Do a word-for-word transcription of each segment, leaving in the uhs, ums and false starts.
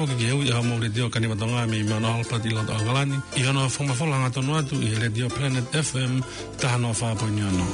Foki ki he ui ʻa e Letiō Kanivatonga mei Mount Albert ʻi loto ʻAokalani, ʻi hono fakamafola hangatonu atu ʻi he Letiō Planet F M taha noa fā poini ono.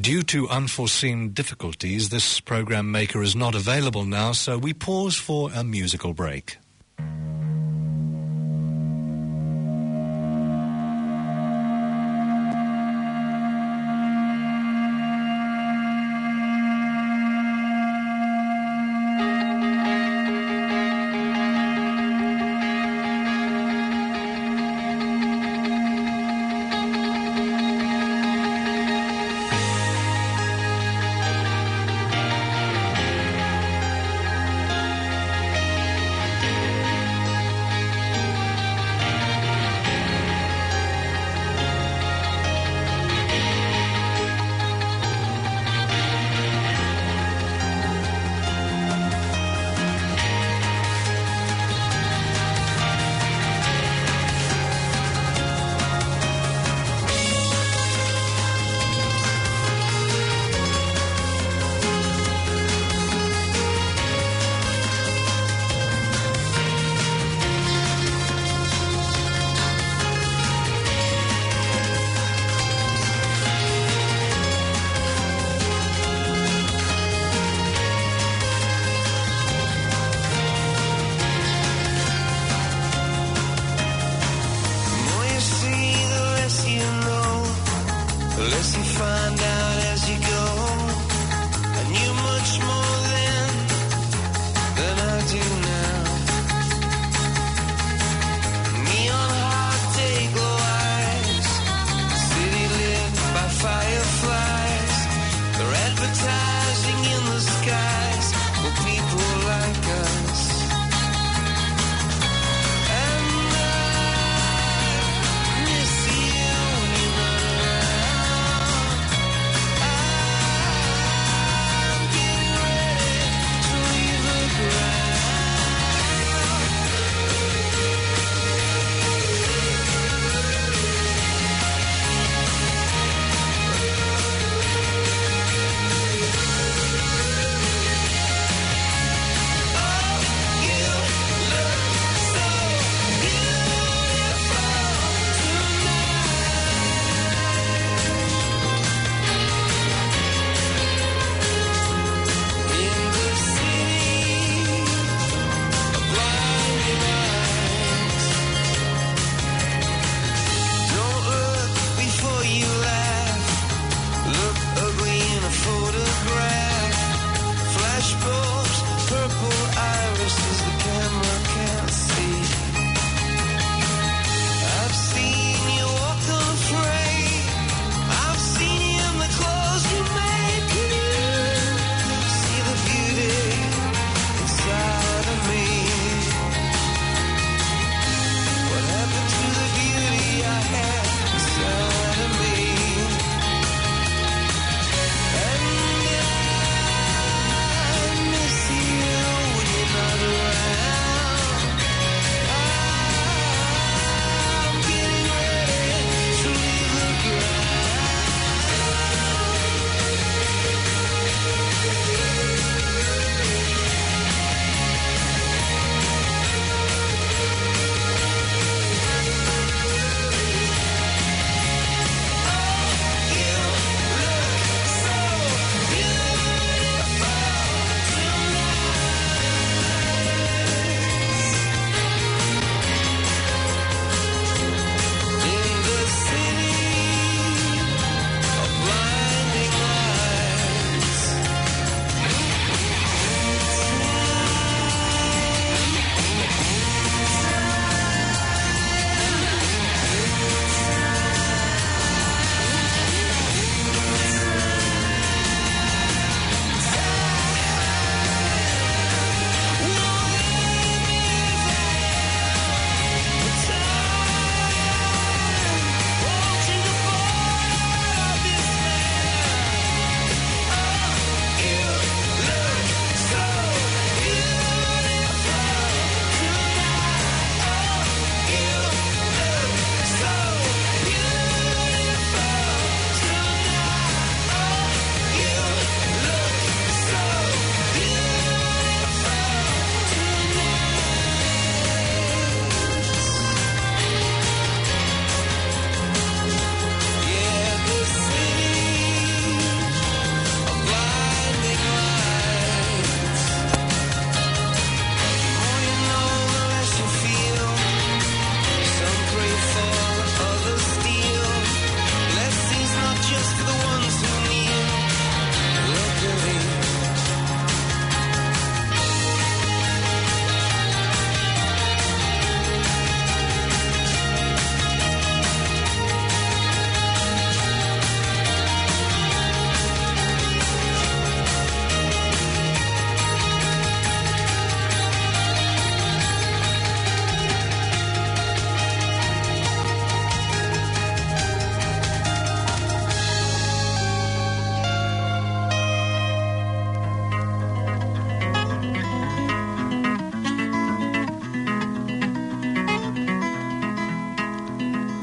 Due to unforeseen difficulties, this program maker is not available now, so we pause for a musical break.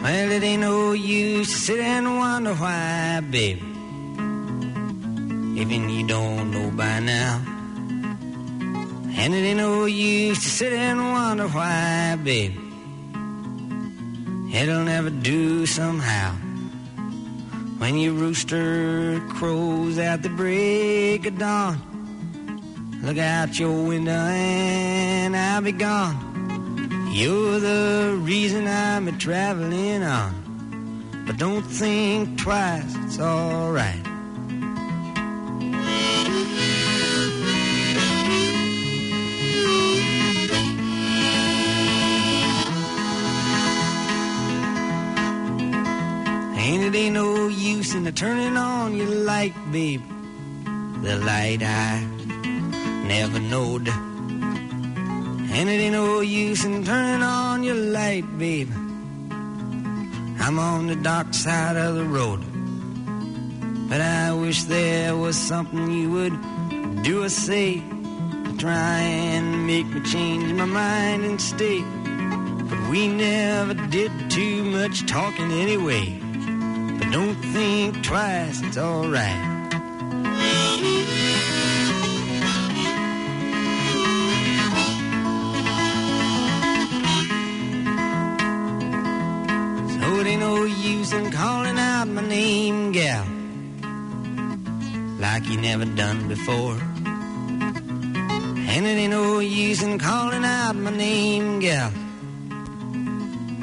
Well, it ain't no use to sit and wonder why, babe. Even you don't know by now. And it ain't no use to sit and wonder why, babe. It'll never do somehow. When your rooster crows at the break of dawn, look out your window and I'll be gone. You're the reason I'm traveling on. But don't think twice, it's all right. And it ain't no use in turning on your light, babe. The light I never knowed. And it ain't no use in turning on your light, babe. I'm on the dark side of the road. But I wish there was something you would do or say to try and make me change my mind and stay. But we never did too much talking anyway. But don't think twice, it's all right. So it ain't no use in calling out my name, gal, like you never done before. And it ain't no use in calling out my name, gal.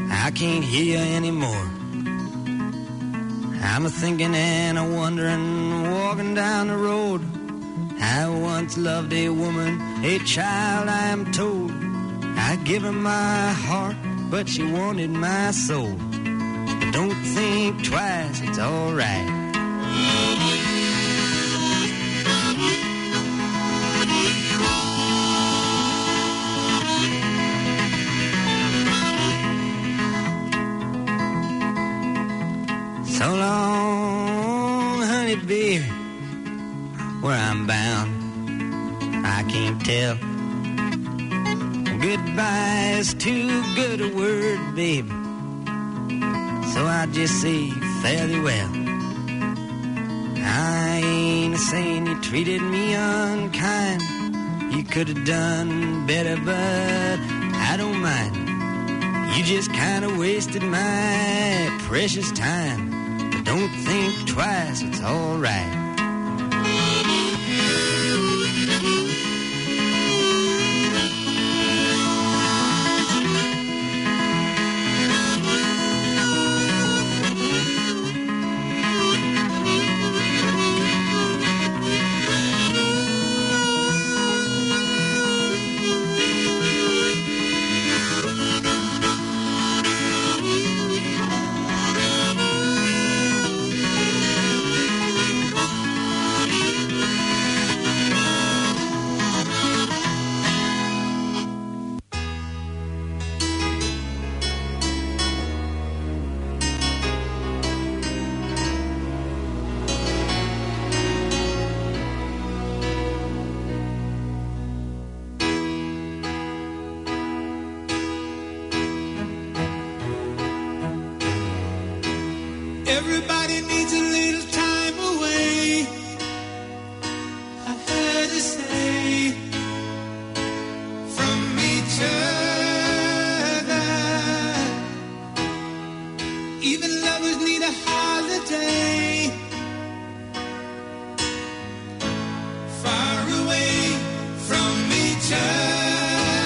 I can't hear you anymore. I'm a thinking and a wondering, walking down the road. I once loved a woman, a child, I am told. I give her my heart, but she wanted my soul. But don't think twice, it's all right. So long, honey, baby, where I'm bound, I can't tell. Goodbye is too good a word, baby. So I just say fare thee well. I ain't a saying you treated me unkind. You could have done better, but I don't mind. You just kinda wasted my precious time. But don't think twice, it's all right. Everybody needs a little time away. I've heard it say from each other. Even lovers need a holiday. Far away from each other.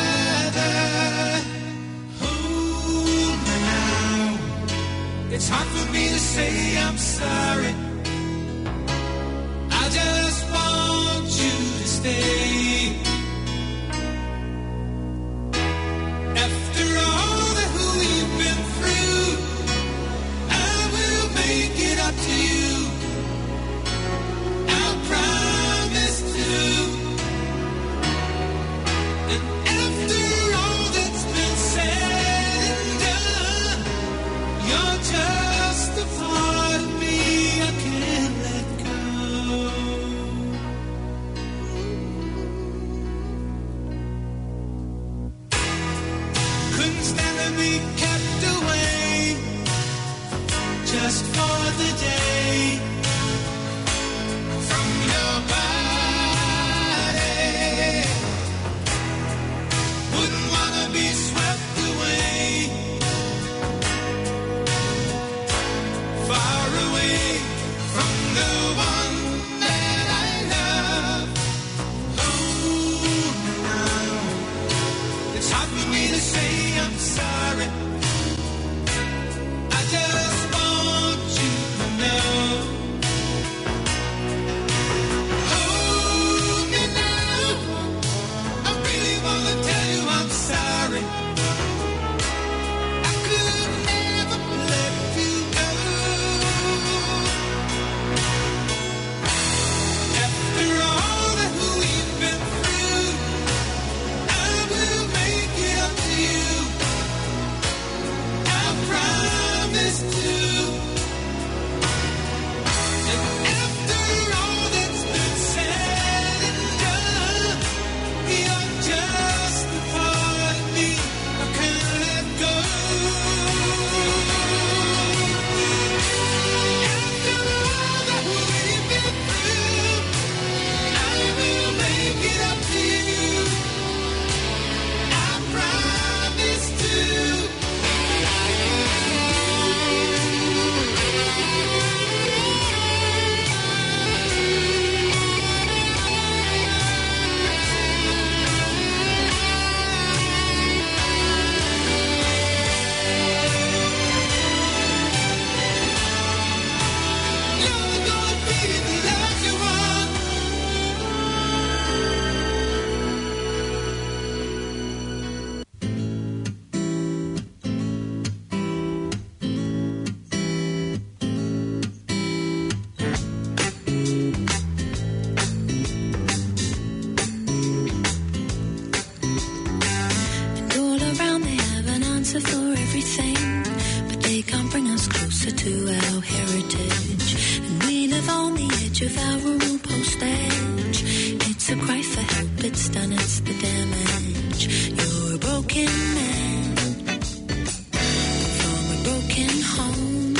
Hold me now. It's hard for me to say I'm sorry. I just want you to stay. After all that we've been through, I will make it up to you. I promise to. And after all that's been said and done, you're just a part of me I can't let go. Couldn't stand to be kept away. Just for the day from your body. Wouldn't wanna be swept away, far away from the one that I love. Oh, now it's hard for me to say I'm sorry. I just want you to know. Hold me now. I really wanna tell you I'm sorry. I could never let you go. After all that we've been through, I will make it up to you. I promise to. And after all that's been said and done, you're just a part of me I can't let go. After all that we've been through, I will make it up to you. I promise to. And all around they have an answer for everything, but they can't bring us closer to our heritage. And we live on the edge of our rural postage. It's a cry for help, it's done, it's the damage. You're a broken man from a broken home.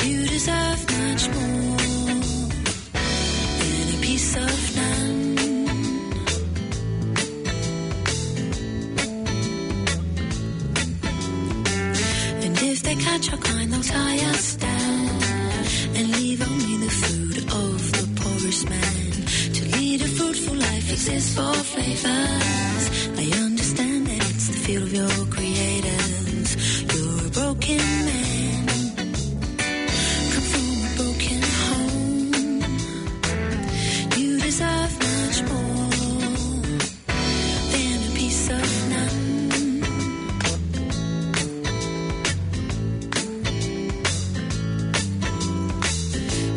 You deserve much more than a piece of land. And if they catch our kind, they'll tie us down and leave only the food of the poorest man. To lead a fruitful life exists for flavors. I understand that it's the field of your creators. You're a broken man. Come from a broken home. You deserve much more than a piece of land.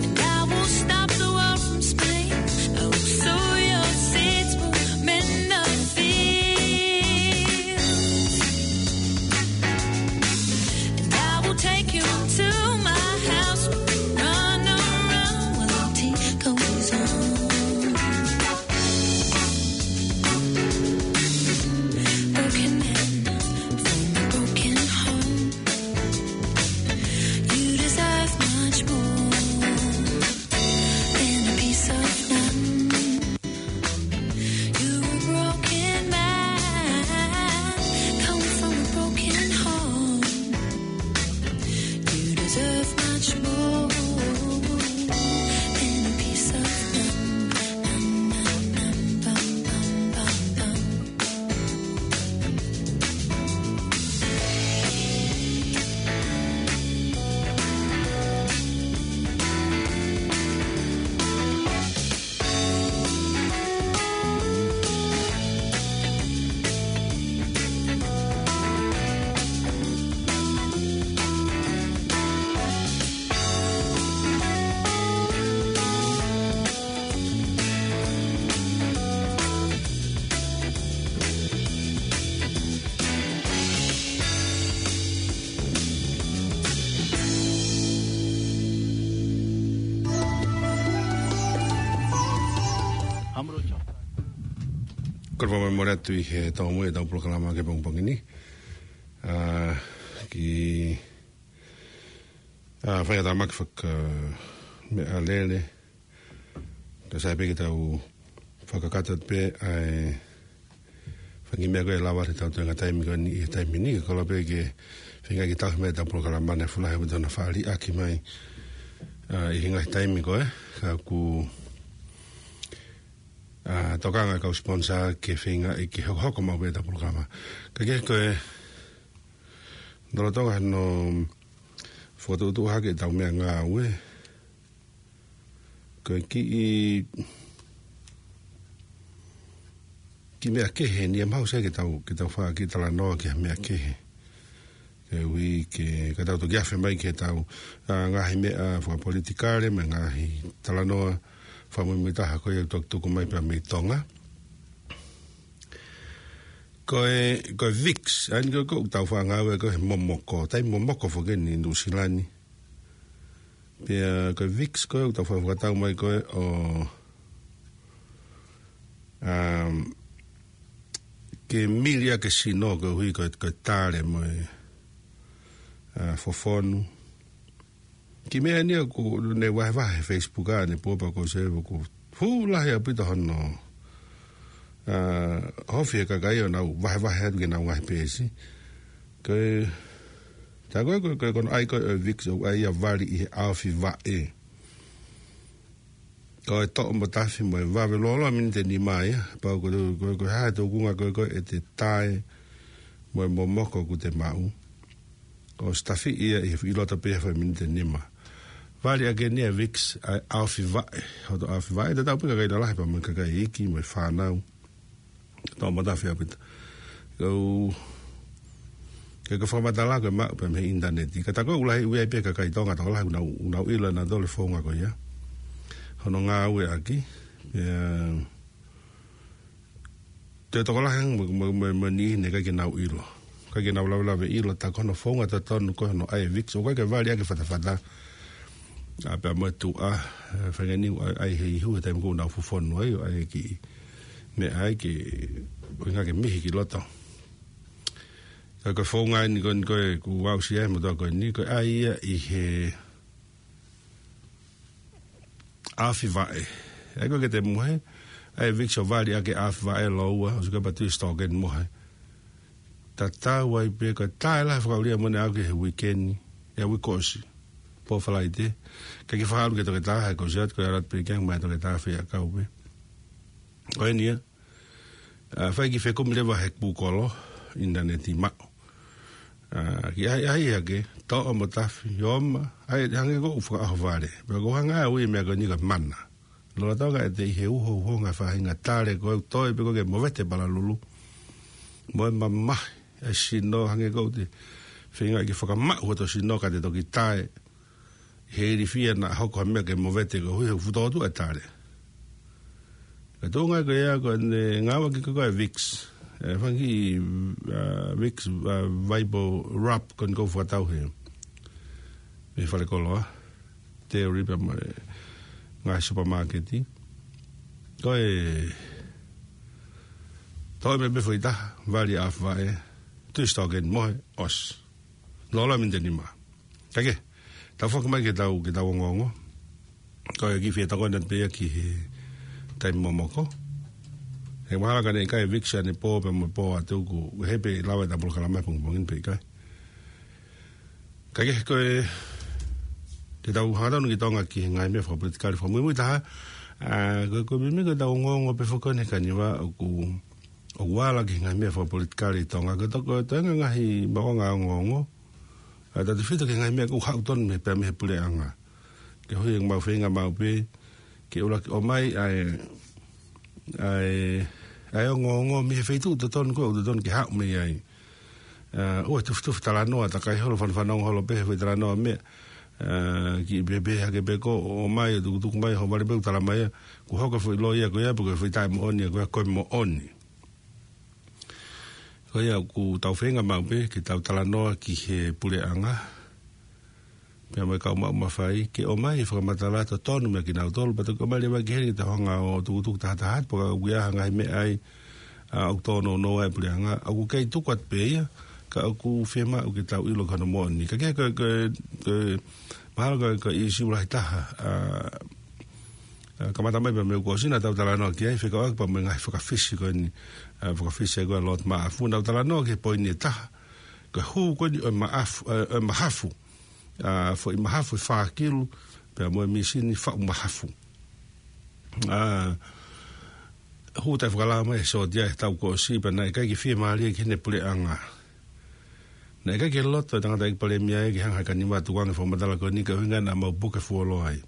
And I will stop the world from split. I will sow your seeds, will mend the fields. And I will take you to my house. Run around while the tea goes on. Broken man from a broken home. You deserve much more than a piece of land. You're a broken man, come from a broken home. You deserve much more than a piece of land. Kole pē mo e mole atu ʻi he tau mo e tau polokalama ki he pongipongi ni. ʻA, ki ʻA, fai ʻa e tamaki faka-, meʻalele. Ka sai pē ke tau fakakakato pē ʻa e fanga kiʻi meʻa ko ē ʻe lava ke tau toenga taimi ko eni ʻi he taimi ni, ka ʻoku lava pē ke feinga ke tau meʻa ʻetau polokalama ni ʻo fuʻu lahi ʻaupito hono faʻa liʻaki mai, ʻa, ʻi he ngaahi taimi ko ē, ka ʻoku, ʻa, tokanga e kau sponsor ke feinga ke hokohoko maʻu pē ʻetau polokalama. Ka ke ko e, lolotonga hono fokotuʻutuʻu hake ʻetau meʻangāue, ko e kiʻi, kiʻi meʻa kehe eni ʻe mahuʻinga ke tau, ke tau fai ha kiʻi talanoa ki ha meʻa kehe. Koeʻuhi ke, ka tau toki afe mai ki heʻetau, ʻa, ngaahi meʻa fakapolitikale, mo e ngaahi talanoa fakamuimuitaha ko ia ʻoku tuku mai pē mei Tonga. Ko e, ko e VIX, ʻa eni ko ē ʻoku tau faʻa ngāue ko ē he momoko, taimi momoko foki eni ʻi Nuʻusila ni. Pea ko e VIX ko ē ʻoku tau faʻa fakatau mai ko ē ʻo, um, ke mili ʻaki e sino koeʻuhi ko e, ko e tale mo e, ʻa, fofonu. Kiʻi meʻa eni ʻoku ne vahevahe he Facebook ʻanepō pea ko e sēvoko fuʻu lahi ʻaupito hono, ʻa, ofi he kakai ʻo nau vahevahe atu ki heʻenau ngaahi peesi. Ko e, tā ko ē, ko e, ko e, ko hono ʻai ko ē ʻo e VIX ʻoku ʻai ia ʻo vali ʻi he ʻaofi vaʻe. Ko e toʻo mo tafi mo e vave lōloa miniti ʻe nima ia, pea ko e, ko e, ko e hā e tūkunga ko ē, ko ē ʻe te tae mo e momoko ʻoku te maʻu. ʻOsi tafi ia ʻi he, ʻi loto pē ia he foʻi miniti ʻe nima. Vali ʻaki eni ʻa e VIX ʻa e ʻaofi vaʻe, hoto ʻaofi vaʻe, tatau pē kakai lalahi pea mo e kakai iiki mo e fānau. Toʻo mo tafi ʻaupito. Ko e, ko e fakamatala ko ē maʻu pē mei he ʻinitaneti. Ka tā ko ē ʻoku lahi ʻuhinga pē kakai Tonga tokolahi ʻoku nau, ʻoku nau ʻilo ʻe nautolu e founga ko ia hono ngāueʻaki. Pea toe tokolahi ange mo, mo, mo, mo e niʻihi naʻe ʻikai ke nau ʻilo. ʻIkai ke nau lavelave ʻilo tā ko hono founga totonu ko ē hono ʻai e VIX, ʻoku ʻikai ke vali ʻaki e fatafata. ʻA, pea mo e tuʻa, ʻe, feinga ni ʻai, ʻai he ihu he taimi ko ē ʻoku nau fofonu ai, ʻo ʻai e kiʻi meʻa ai ke, ʻuhinga ke mihi ki loto. Ka ko e founga eni ko eni ko ē ʻoku aʻusia ai e motuʻa ko eni, ko e ʻai ia ʻi he ʻaofi vaʻe. ʻA ia ko ē ke te mohe, ʻai e VIX ʻo vali ʻaki e ʻaofi vaʻe, lōua, ʻosi ko ē pea tui sitoa ʻeni mohe. Tatau ai pē ko e taʻe lahi e fakaʻulia mo ʻene aʻu ki he uike ni, ʻa e uike kuo ʻosi. Pō Falaite. Kae ke fakaʻalu ki he toketā, he kuo ʻosi atu, ko e ʻalu atu pē ki ai, mai toketā fai ʻakau pē. Ko eni ia. ʻA, fai e kiʻi fekumi leva he Google, ʻinitaneti maʻu. ʻA, kiʻi ʻai, ʻai hake, toʻo mo tafi, ʻoma, ʻai, hangē ko ʻeku fakaʻohovale. Pea ʻoku ou hanga ʻe au ʻi he meʻa ko eni ko e mana. Lolotonga ʻete ʻi he uhouhonga e faʻahinga tale ko ē ʻoku toe pē ko ē ke movete palalulu. Mo e mamahi e sino, hangē ko ʻete feinga ke fakamaʻu hoto sino ka te toki tae he ilifia naʻa hoko ha meʻa ke movete koeʻuhi he ʻoku fuʻu tōtuʻa e tale. Ka tuʻunga ko ia ko ʻene ngāueʻaki ko ē e VIX. ʻE fanga kiʻi, ʻa, VIX, ʻa, Vibo Rub ko eni ʻoku ou fakatau he, mei falekoloa, Terry pea mo e ngaahi supermarket. Ko e toʻo e meʻa pē foʻi taha, vali ʻaofi vaʻe, tui sitoa ʻeni mohe, ʻosi. Lōloa miniti ʻe nima. Kae kehe, tau foki mai ke tau, ke tau ongoongo. Ko e kiʻi fie tokoni atu pē ia ki he taimi momoko. He mahalo ka ne ʻikai e VIX ʻanepō pea mo e pō ʻa tuku, he pē lava ʻetau polokalama he pongipongi ni pe ʻikai. Kae kehe ko e, te tau hangatonu ki Tonga ki he ngaahi meʻa fakapolitikale fakamuimuitaha. ʻA, ko e, ko e meimei ko ʻetau ongoongo pē foki eni he kaniva ʻoku, ʻoku ala ki he ngaahi meʻa fakapolitikale ʻi Tonga. Ko e toko, ko e toenga ngaahi maʻuʻanga ongoongo. ʻA, tautefito ki he ngaahi meʻa ʻoku haʻu tonu mei, pea mei he puleʻanga. Koeʻuhi ʻoku mau feinga maʻu pē ke ʻuluaki ʻomai ʻa e, ʻa e, ʻa e ongoongo mei he feituʻu totonu ko ē ʻoku totonu ke haʻu mei ai. ʻA, ʻoua ʻe tufitufi talanoa, takai holo, fanafanongo holo pē he foʻi talanoa meʻa. ʻA, kiʻi pehē hake pē ko ē ʻomai, ʻo tukutuku mai, hoʻo vale pē ʻo talamai ia, kuo hoko e foʻi loi ia ko ia, pe ko e foʻi taʻemoʻoni ia ko ia, ko e moʻoni. Ko ia ʻoku tau feinga maʻu pē ke tau talanoa ki he puleʻanga pea mo e kau maʻu mafai, ke ʻomai e fakamatala totonu meia kinautolu, pea toki ʻomai leva ki heni ke tau hanga ʻo tukutuku tahataha atu, pe ko e ʻoku ʻi ai ha ngaahi meʻa ai, ʻa, ʻoku tōnounou ai e puleʻanga, ʻoku kei tuku atu pē ia, ka ʻoku fiemaʻu ke tau ʻilo ki hono moʻoni. Kae kehe ko e, ko e, ko e Mahalo ko e, ko e ʻīsiu lahi taha, ʻa, ʻa, kamata mai pē mei he kuo ʻosi naʻa tau talanoa ki ai, fekauʻaki pea mo e ngaahi fakafisi ko eni, ʻa, fakafisi ko ē ʻa Lord Maʻafu, naʻa tau talanoa ki he poini ʻe taha, ko e hū ko eni ʻo e maʻafu, ʻa, ʻo e mahafu, ʻa, foʻi mahafu ʻe fā kilu, pea mo e mīsini faʻu mahafu. ʻA, hū taʻefakalao mai ʻe he sōtia he taʻu kuo ʻosi, pea naʻe ʻikai ke fiemālie ki heʻene puleʻanga. Naʻe ʻikai ke loto e tangataʻeiki palēmia ia ke hanga ʻe he Kaniva ʻo tukuange e fakamatala ko eni, ko e ʻuhinga naʻa mau puke fuoloa ai.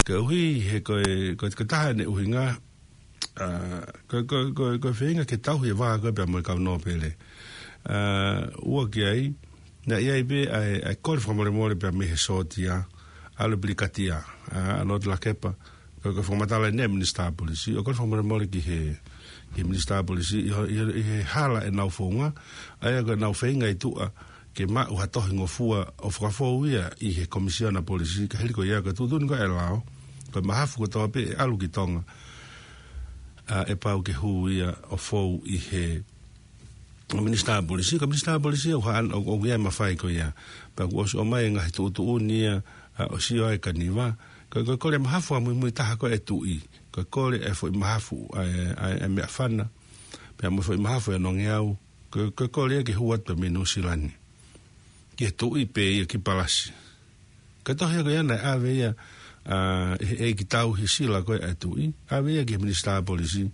Koeʻuhi he ko e, ko e, ko e taha ʻene ʻuhinga, ʻa, ko e, ko e, ko e, ko e feinga ke tauhi e vā ko ē pea mo e kau nōpele. ʻA, ua ki ai, naʻe ʻi ai pē ʻa e, ʻa e kole fakamolemole pea mei he sōtia, ʻalu e pilikatia, ʻa, ʻa Lord Lakepa, ko e, ko e fakamatala eni ʻa e Minisitā Polisi, ʻo kole fakamolemole ki he, ki he Minisitā Polisi, ʻi ho-, ʻi ho-, ʻi he hala ʻenau founga, ʻa ia ko ʻenau feinga ʻi tuʻa, ke maʻu ha tohi ngofua ʻo fakafou ia ʻi he Komisiona Polisi, ka hili ko ia ko e tuʻutuʻuni ko ē ʻa e lao, ko e mahafu kotoa pē ʻe ʻalu ki Tonga, ʻa, ʻe pau ke hū ia ʻo fou ʻi he Minisitā Polisi, ko e Minisitā Polisi ʻoku haʻan-, ʻoku, ʻoku ʻi ai e mafai ko ia. Pea kuo ʻosi ʻomai e ngaahi tuʻutuʻuni ia, ʻa, ʻo sio ai e Kaniva. Ko e, ko e kole mahafu fakamuimui taha ko ē ʻa e tuʻi. Ko e kole e foʻi mahafu, ʻa e, ʻa e, ʻa e meʻafana. Pea mo e foʻi mahafu ʻa e nongeau. Ko e, ko e kole ia ke hū atu mei Nuʻusila ni. Ki he tuʻi pē ia ki Palasi. Ko e tohi ko ia naʻe ʻave ia, ʻa, ʻe he ʻeiki tauhi sila ko ē ʻa e tuʻi, ʻave ia ki he Minisitā Polisi,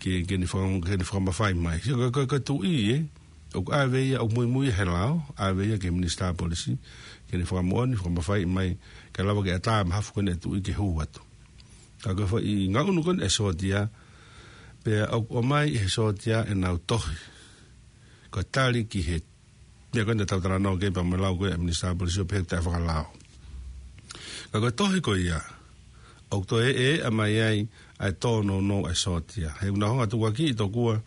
ke, ke ne faka-, ke ne fakamafai mai. Sio, ko e, ko e, ko e tuʻi, ē, ʻoku ʻave ia, ʻoku muimui he lao, ʻave ia ki he Minisitā Polisi, ke ne fakamoʻoni, fakamafai mai, kae lava ke ʻatā e mahafu ko eni ʻa e tuʻi ke hū atu. Ka ko e foʻi ngaʻunu ko eni ʻa e sōtia, pea ʻoku ʻomai ʻe he sōtia ʻenau tohi. Ko e tali ki he meʻa ko ē naʻa tau talanoa ki ai pea mo e lau ko ē ʻa e Minisitā Polisi ʻo pehē ʻoku taʻefakalao. Ka ko e tohi ko ia, ʻoku toe ʻeʻa mai ai ʻa e tōnounou ʻa e sōtia. He ʻoku nau hanga ʻo tukuakiʻi tokua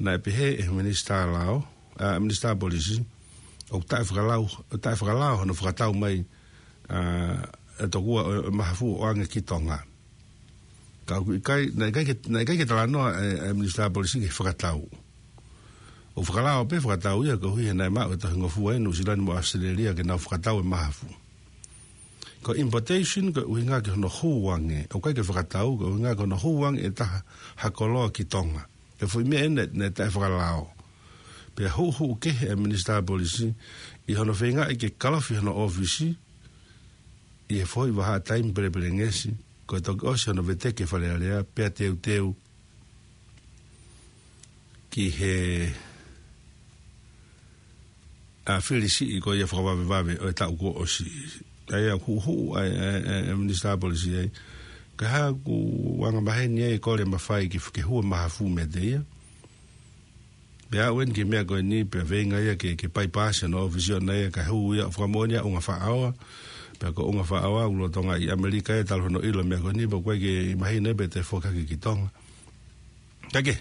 naʻe pehē ʻe he Minisitā Lao, ʻa, Minisitā Polisi, ʻoku taʻefakalao, taʻefakalao hono fakatau mai, ʻa, ʻe tokua ʻo, ʻo mahafu ʻo ʻoange ki Tonga. Ka ʻoku ʻikai, naʻe ʻikai ke, naʻe ʻikai ke talanoa e, e Minisitā Polisi ki he fakatau. ʻOku fakalao pē fakatau ia koeʻuhi he naʻe maʻu e tohi ngofua ʻi Nuʻusila ni mo ʻAositelēlia ke nau fakatau e mahafu. Ko e importation ko e ʻuhinga ki hono hū ange, ʻoku ʻikai ke fakatau, ko e ʻuhinga ki hono hū ange ʻe taha ha koloa ki Tonga. Ko e foʻi meʻa eni naʻe, naʻe taʻefakalao. Pea huʻuhuʻu kehe e Minisitā Polisi, ʻi hono feingaʻi ke kalofi hono ʻōfisi, ʻi he foʻi vahaʻa taimi pelepelengesi, ko e toki ʻosi hono veteki e Fale Alea, pea teuteu ki he, ʻa, fili siʻi ko ia fakavavevave ʻo e taʻu kuo ʻosi. ʻA ia huʻuhuʻu ai, e, e, e Minisitā Polisi ai. Ka ʻoku angamaheni ai e kole mafai ke, ke hū e mahafu meiate ia. Pea aʻu eni ki he meʻa ko eni, pea feinga ia ke, ke paipasi hono ʻōfisi ʻoʻona ia kae hū ia ʻo fakamoʻoni ʻa ʻUnga Faʻaoa. Pea ko ʻUnga Faʻaoa, ʻoku lolotonga ʻi ʻAmelika ia talu hono ʻilo e meʻa ko eni, pea ʻoku ʻikai ke mahino ia pe te foki hake ki Tonga. Ka ke,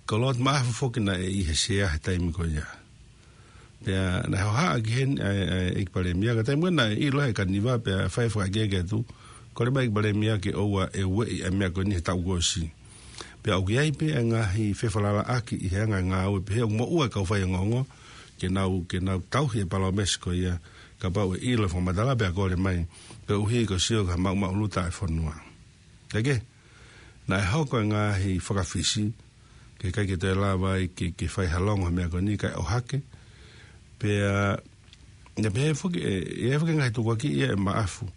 ko Lord Maʻafu foki naʻe ʻi he sea he taimi ko ia. Pea naʻe hohaʻa ki heni ʻa e, ʻa e ʻEiki Palēmia, ka taimi ko ē naʻe ʻilo ʻe he Kaniva pea fai fakaʻekeʻeke atu, kole mai ʻEiki Palēmia ke ʻoua ʻe ueʻi ʻa e meʻa ko eni he taʻu kuo ʻosi. Pea ʻoku ʻi ai pē ʻa e ngaahi fefalalaʻaki ʻi he anga e ngāue pehē ʻoku moʻua e kau faiongoongo, ke nau, ke nau tauhi e palōmesi ko ia, kapau ʻe ʻilo e fakamatala pea kole mai, koeʻuhi ko e sio ki ha maʻumaʻuluta ʻa e fonua. Kae kehe, naʻe hoko e ngaahi fakafisi, ke ʻikai ke toe lava ai ke, ke fai ha longo he meʻa ko eni kae ʻohake. Pea, naʻe pehē foki, ʻe, ʻe foki ngaahi tukuakiʻi ia ʻe Maʻafu.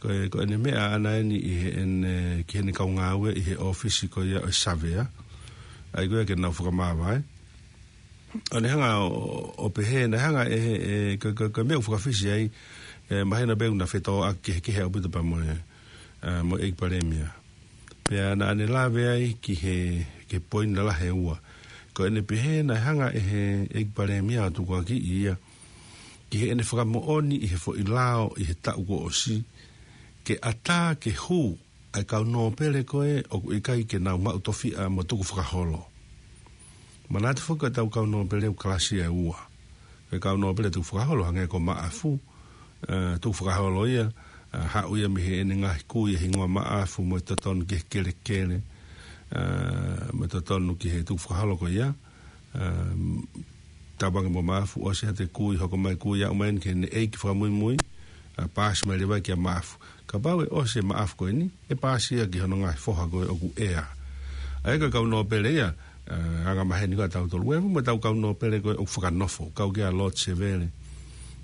Ko e, ko ʻene meʻa ʻaʻana eni ʻi heʻene, ki heʻene kau ngāue ʻi he ʻōfisi ko ia ʻo e Savea. ʻA ia ko ia ke nau fakamāvae. ʻO ne hanga ʻo, ʻo pehē, naʻe hanga ʻe he, e, ko, ko, ko e meʻa ʻoku fakafisi ai, e, mahino pē ʻoku na fetōʻaki kehekehe ʻaupito pea mo e, e, mo e ʻEiki Palēmia. Pea naʻa ne lave ai ki he, ki he poini lalahi ʻe ua. Ko ʻene pehē naʻe hanga ʻe he ʻEiki Palēmia ʻo tukuakiʻi ia, ki heʻene fakamoʻoni ʻi he foʻi lao ʻi he taʻu kuo ʻosi, ke ʻatā ke hū ʻa e kau nōpele ko ē ʻoku ʻikai ke nau maʻu tofiʻa mo tukufakaholo. Manatu foki ko e tau kau nōpele ʻoku kalasi ʻe ua. Ko e kau nōpele tukufakaholo hangē ko Maʻafu, e, tukufakaholo ia, e, haʻu ia mei heʻene ngaahi kui e hingoa Maʻafu mo e totonu ki he kelekele, e, mo e totonu ki he tukufakaholo ko ia, e, tauange mo Maʻafu ʻosi ʻa e kui, hoko mai kui, aʻu mai eni ki heʻene ʻeiki fakamuimui, ʻa, paasi mai leva ia kia Maʻafu. Kapau ʻe ʻosi ʻe Maʻafu ko eni, ʻe paasi ia ki hono ngaahi foha ko ē ʻoku ʻea. ʻA ia ko e kau nōpele ia, ʻa, angamaheni ko ē ʻa tautolu. ʻOku ʻi ai mo ʻetau kau nōpele ko ē ʻoku fakanofo, kau ki ai ʻa Lord Sevele,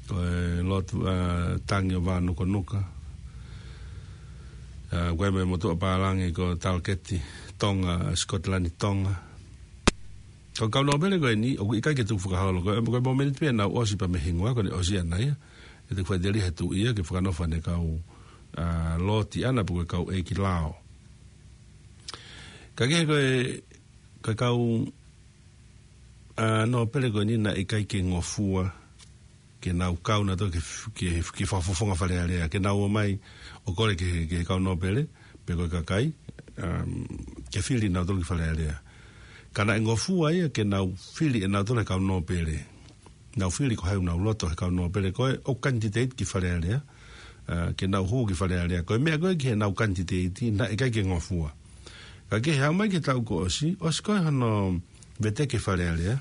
ko e Lord, ʻa, Tangi ʻo Vānukanuka. ʻA, ko e meʻa motuʻa pālangi ko Talaketi Tonga, Scotland Tonga. Ko e kau nōpele ko eni, ʻoku ʻikai ke tukufakaholo, ko e, ko e momeniti pē ʻenau ʻosi pea mei he hingoa, ko ʻene ʻosi ʻana ia. ʻE tuku faʻiteliha he tuʻi ia ke fakanofo ʻene kau, ʻa, loti ʻana pe ko e kau ʻeiki lao. Ka kehe ko e, ko e kau, ʻa, nōpele ko eni naʻe ʻikai ke ngofua, ke nau kau nautolu ki he, ki he, ki he fakafofonga Fale Alea, ke nau ō mai ʻo kole ki he, ki he kau nōpele, pe ko e kakai, um, ke fili nautolu ki Fale Alea. Ka naʻe ngofua ia ke nau fili ʻe nautolu he kau nōpele. Nau fili ko hai ʻoku nau loto he kau nōpele ko ē ʻoku kanititeiti ki Fale Alea, ʻa, ke nau hū ki Fale Alea. Ko e meʻa ko ē ki heʻenau kanititeiti, naʻe ʻikai ke ngofua. Ka kehe, haʻu mai ki he taʻu kuo ʻosi, ʻosi ko ē hono veteki Fale Alea.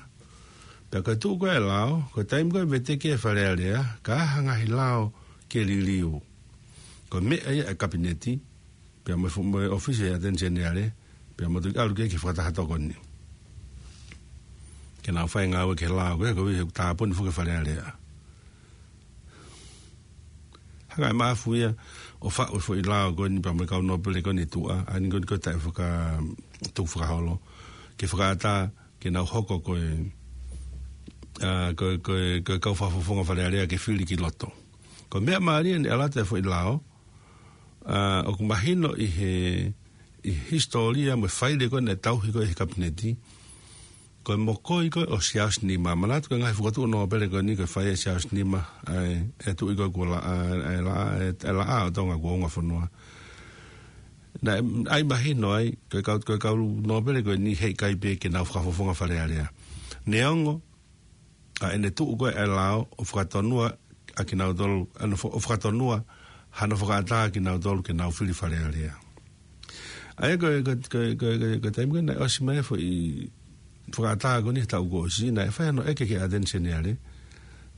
Pea ko e tuʻu ko ē ʻa e lao, ko e taimi ko ē veteki ʻe Fale Alea, ka ʻi ai ha ngaahi lao ke liliu, ko e meʻa ia ʻa e Kapineti, pea mo e fu-, mo e ʻOfisi ʻo e ʻAteni Seniale, pea mo e tuʻi ʻalu ki he fakataha tokoni. Ke nau fai e ngāue ki he lao ko ē, koeʻuhi he ʻoku tāpuni foki ʻe Fale Alea. Hanga ʻe Maʻafu ia ʻo faʻu e foʻi lao ko eni pea mo e kau nōpele ko eni tuʻa, ʻa eni ko eni ko e taʻe faka-, tukufakaholo, ke fakaʻatā ke nau hoko ko e, ʻa, ko e, ko e, ko e kau fakafofonga Fale Alea ke fili ki loto. Ko e meʻa mālie naʻe ʻalu atu e foʻi lao, ʻa, ʻoku mahino ʻi he, ʻi he hisitōlia mo e faile ko ē naʻe tauhi ko ē ʻe he Kapineti, ko e mokoi ko ē ʻo Siaosi Nima. Manatu ko e ngaahi fokotuʻu nōpele ko eni ko e fai ʻe Siaosi Nima, ʻa e, e tuʻi ko ē kuo la-, ʻa, ʻa e la-, ʻa e, ʻa e Laʻā ʻo Tonga kuo unga fonua. Naʻe, ʻai mahino ai, ko e kau, ko e kau nōpele ko eni heʻikai pē ke nau fakafofonga Fale Alea. Neongo, ʻa ʻene tuʻu ko ē ʻa e lao ʻo fakatonua ʻa kinautolu, ʻa ʻene fo-, ʻo fakatonua hano fakaʻatā kinautolu ke nau fili Fale Alea. ʻA ia ko e, ko e, ko e, ko e, ko e, ko e taimi ko ē naʻe ʻosi mai e foʻi fakaʻatā ko eni he taʻu kuo ʻosi, naʻe fai hano ʻeke ki he ʻAteni Seniale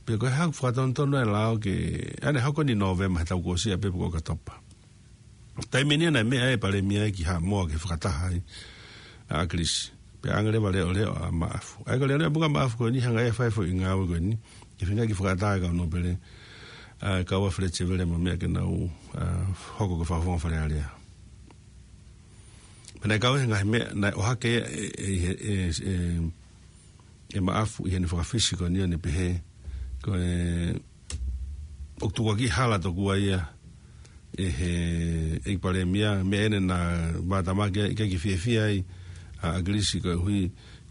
pe ko e hā ʻoku fakatonutonu ai e lao ke, ʻa ʻene hoko eni Nōvema he taʻu kuo ʻosi ʻa pe ko ʻOkatopa. Taimi eni naʻe meʻa ai e Palēmia ki Haʻamoa ke fakataha ai ʻa ʻAkilisi. Pea ʻange leva leʻoleʻo ʻa Maʻafu. ʻA ia ko e leʻoleʻo muʻa ʻa Maʻafu ko eni hanga ʻe ia ʻo fai e foʻi ngāue ko eni, ke feinga ke fakaʻatā e kau nōpele, ʻa, kau ai ʻa Feleti Sevele mo e meʻa ke nau, ʻa, hoko ko e fakafofonga Fale Alea. Pea naʻe kau he ngaahi meʻa, naʻe ʻohake ʻe, ʻe, ʻe, ʻe, ʻe Maʻafu ʻi heʻene fakafisi ko eni ʻo ne pehē, ko e, ʻoku tukuakiʻi hala tokua ia ʻe he, ʻe he Palēmia, meʻa eni naʻe mātamaki ai, ʻikai ke fiefia ai ʻa ʻAkilisi koeʻuhi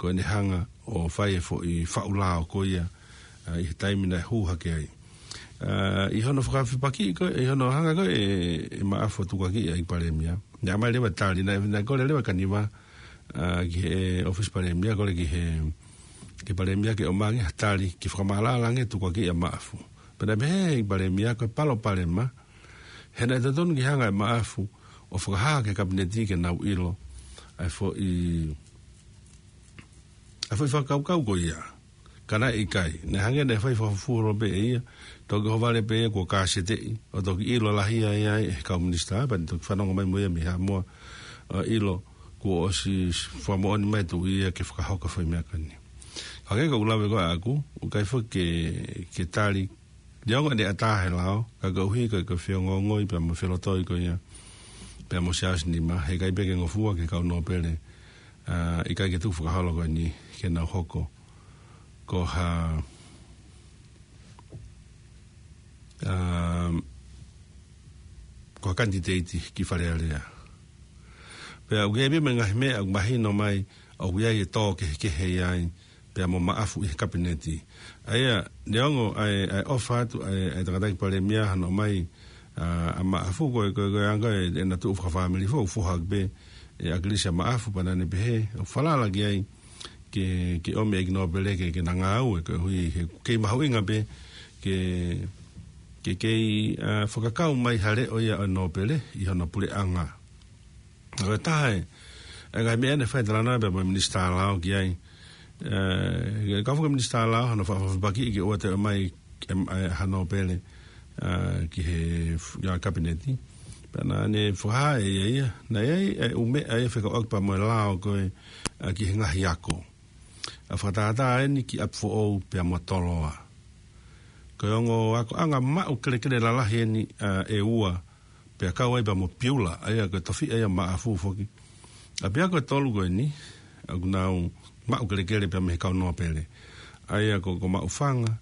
ko ʻene hanga ʻo fai e foʻi faʻu lao ko ia, ʻa, ʻi he taimi naʻe hū hake ai. ʻA, ʻi hono fakafepakiʻi ko ē, ʻi hono hanga ko ē ʻe, ʻe Maʻafu ʻo tukuakiʻi ʻa e Palēmia, naʻe ʻomai leva e tali, naʻe, naʻe kole leva Kaniva, ʻa, ki he ʻOfisi Palēmia, kole ki he, ki he Palēmia ke ʻomai ange ha tali ke fakamaʻalaʻala ange e tukuakiʻi ʻa Maʻafu. Pea naʻe pehē ʻe he Palēmia ko e palopalema, he naʻe totonu ke hanga ʻe Maʻafu ʻo fakahā ki he Kapineti ke nau ʻilo ʻa e foʻi, ʻa e foʻi fakakaukau ko ia. Ka naʻe ʻikai, naʻe hangē naʻe fai fakafufuholo pē ʻe ia, toki ʻohovale pē ia kuo kāseteʻi, ʻo toki ʻilo lahi ai ʻe he kau minisitā, pea ne toki fanongo mai mo ia mei Haʻamoa, ʻo ʻilo kuo ʻosi fakamoʻoni mai e tuʻi ia ke fakahoko e foʻi meʻa ko eni. Ka ko e ʻuhinga ko ē ʻaʻaku, ʻoku ʻikai foki ke, ke tali, neongo ʻene ʻatā he lao, ka koeʻuhi ko e, ko e feongoongoi pea mo e felotoi ko ia pea mo Siaosi Nima, heʻikai pē ke ngofua ki he kau nōpele, ʻa, ʻikai ke tukufakaholo ko eni ke nau hoko ko ha, ʻa, ko ha kanititeiti ki Fale Alea. Pea ʻoku ʻi ai pē mo e ngaahi meʻa ʻoku mahino mai ʻoku ʻi ai e tō kehekehe ai pea mo Maʻafu ʻi he Kapineti. ʻA ia, neongo ʻa e, ʻa e ʻofa atu ʻa e, ʻa e tangataʻeiki Palēmia hano ʻomai, ʻa, ʻa Maʻafu ko e, ko e, ko e anga e, ʻena tuʻu fakafāmili foʻou, foha pē ʻe ʻAkilisi ʻa Maʻafu, pea naʻa ne pehē ʻoku falala ki ai ke, ke ʻomi e ʻeiki nōpele ke, ke na ngāue, koeʻuhi he kei mahuʻinga pē ke, ke kei, ʻa, fakakau mai ha leʻo ia ʻo e nōpele ʻi hono puleʻanga. Ko e taha e, e ngaahi meʻa naʻe fai e talanoa pea mo e Minisitā Lao ki ai. ʻE, ka foki e Minisitā Lao, hano fa-, fa-, fakapakiʻi ke ʻoua toe ʻomai, ʻe, ʻe, ha nōpele, ʻa, ki he f-, ʻa, kapineti. Pea naʻa ne fakahā ʻe ia ia, naʻe ʻi ai e ʻū meʻa ia fekauʻaki pea mo e lao ko ē, ʻa, ki he ngaahi ako. ʻA, fakatātā eni ki ʻApifoʻou pea mo Toloa. Ko e ongo akoʻanga maʻu kelekele lalahi eni, ʻa, ʻe ua, pea kau ai pea mo Piula, ʻa ia ko e tofiʻa ia Maʻafu foki. ʻApiako ʻe tolu ko eni, ʻoku nau maʻu kelekele pea mei he kau nōpele. ʻA ia ko, ko Maʻufanga,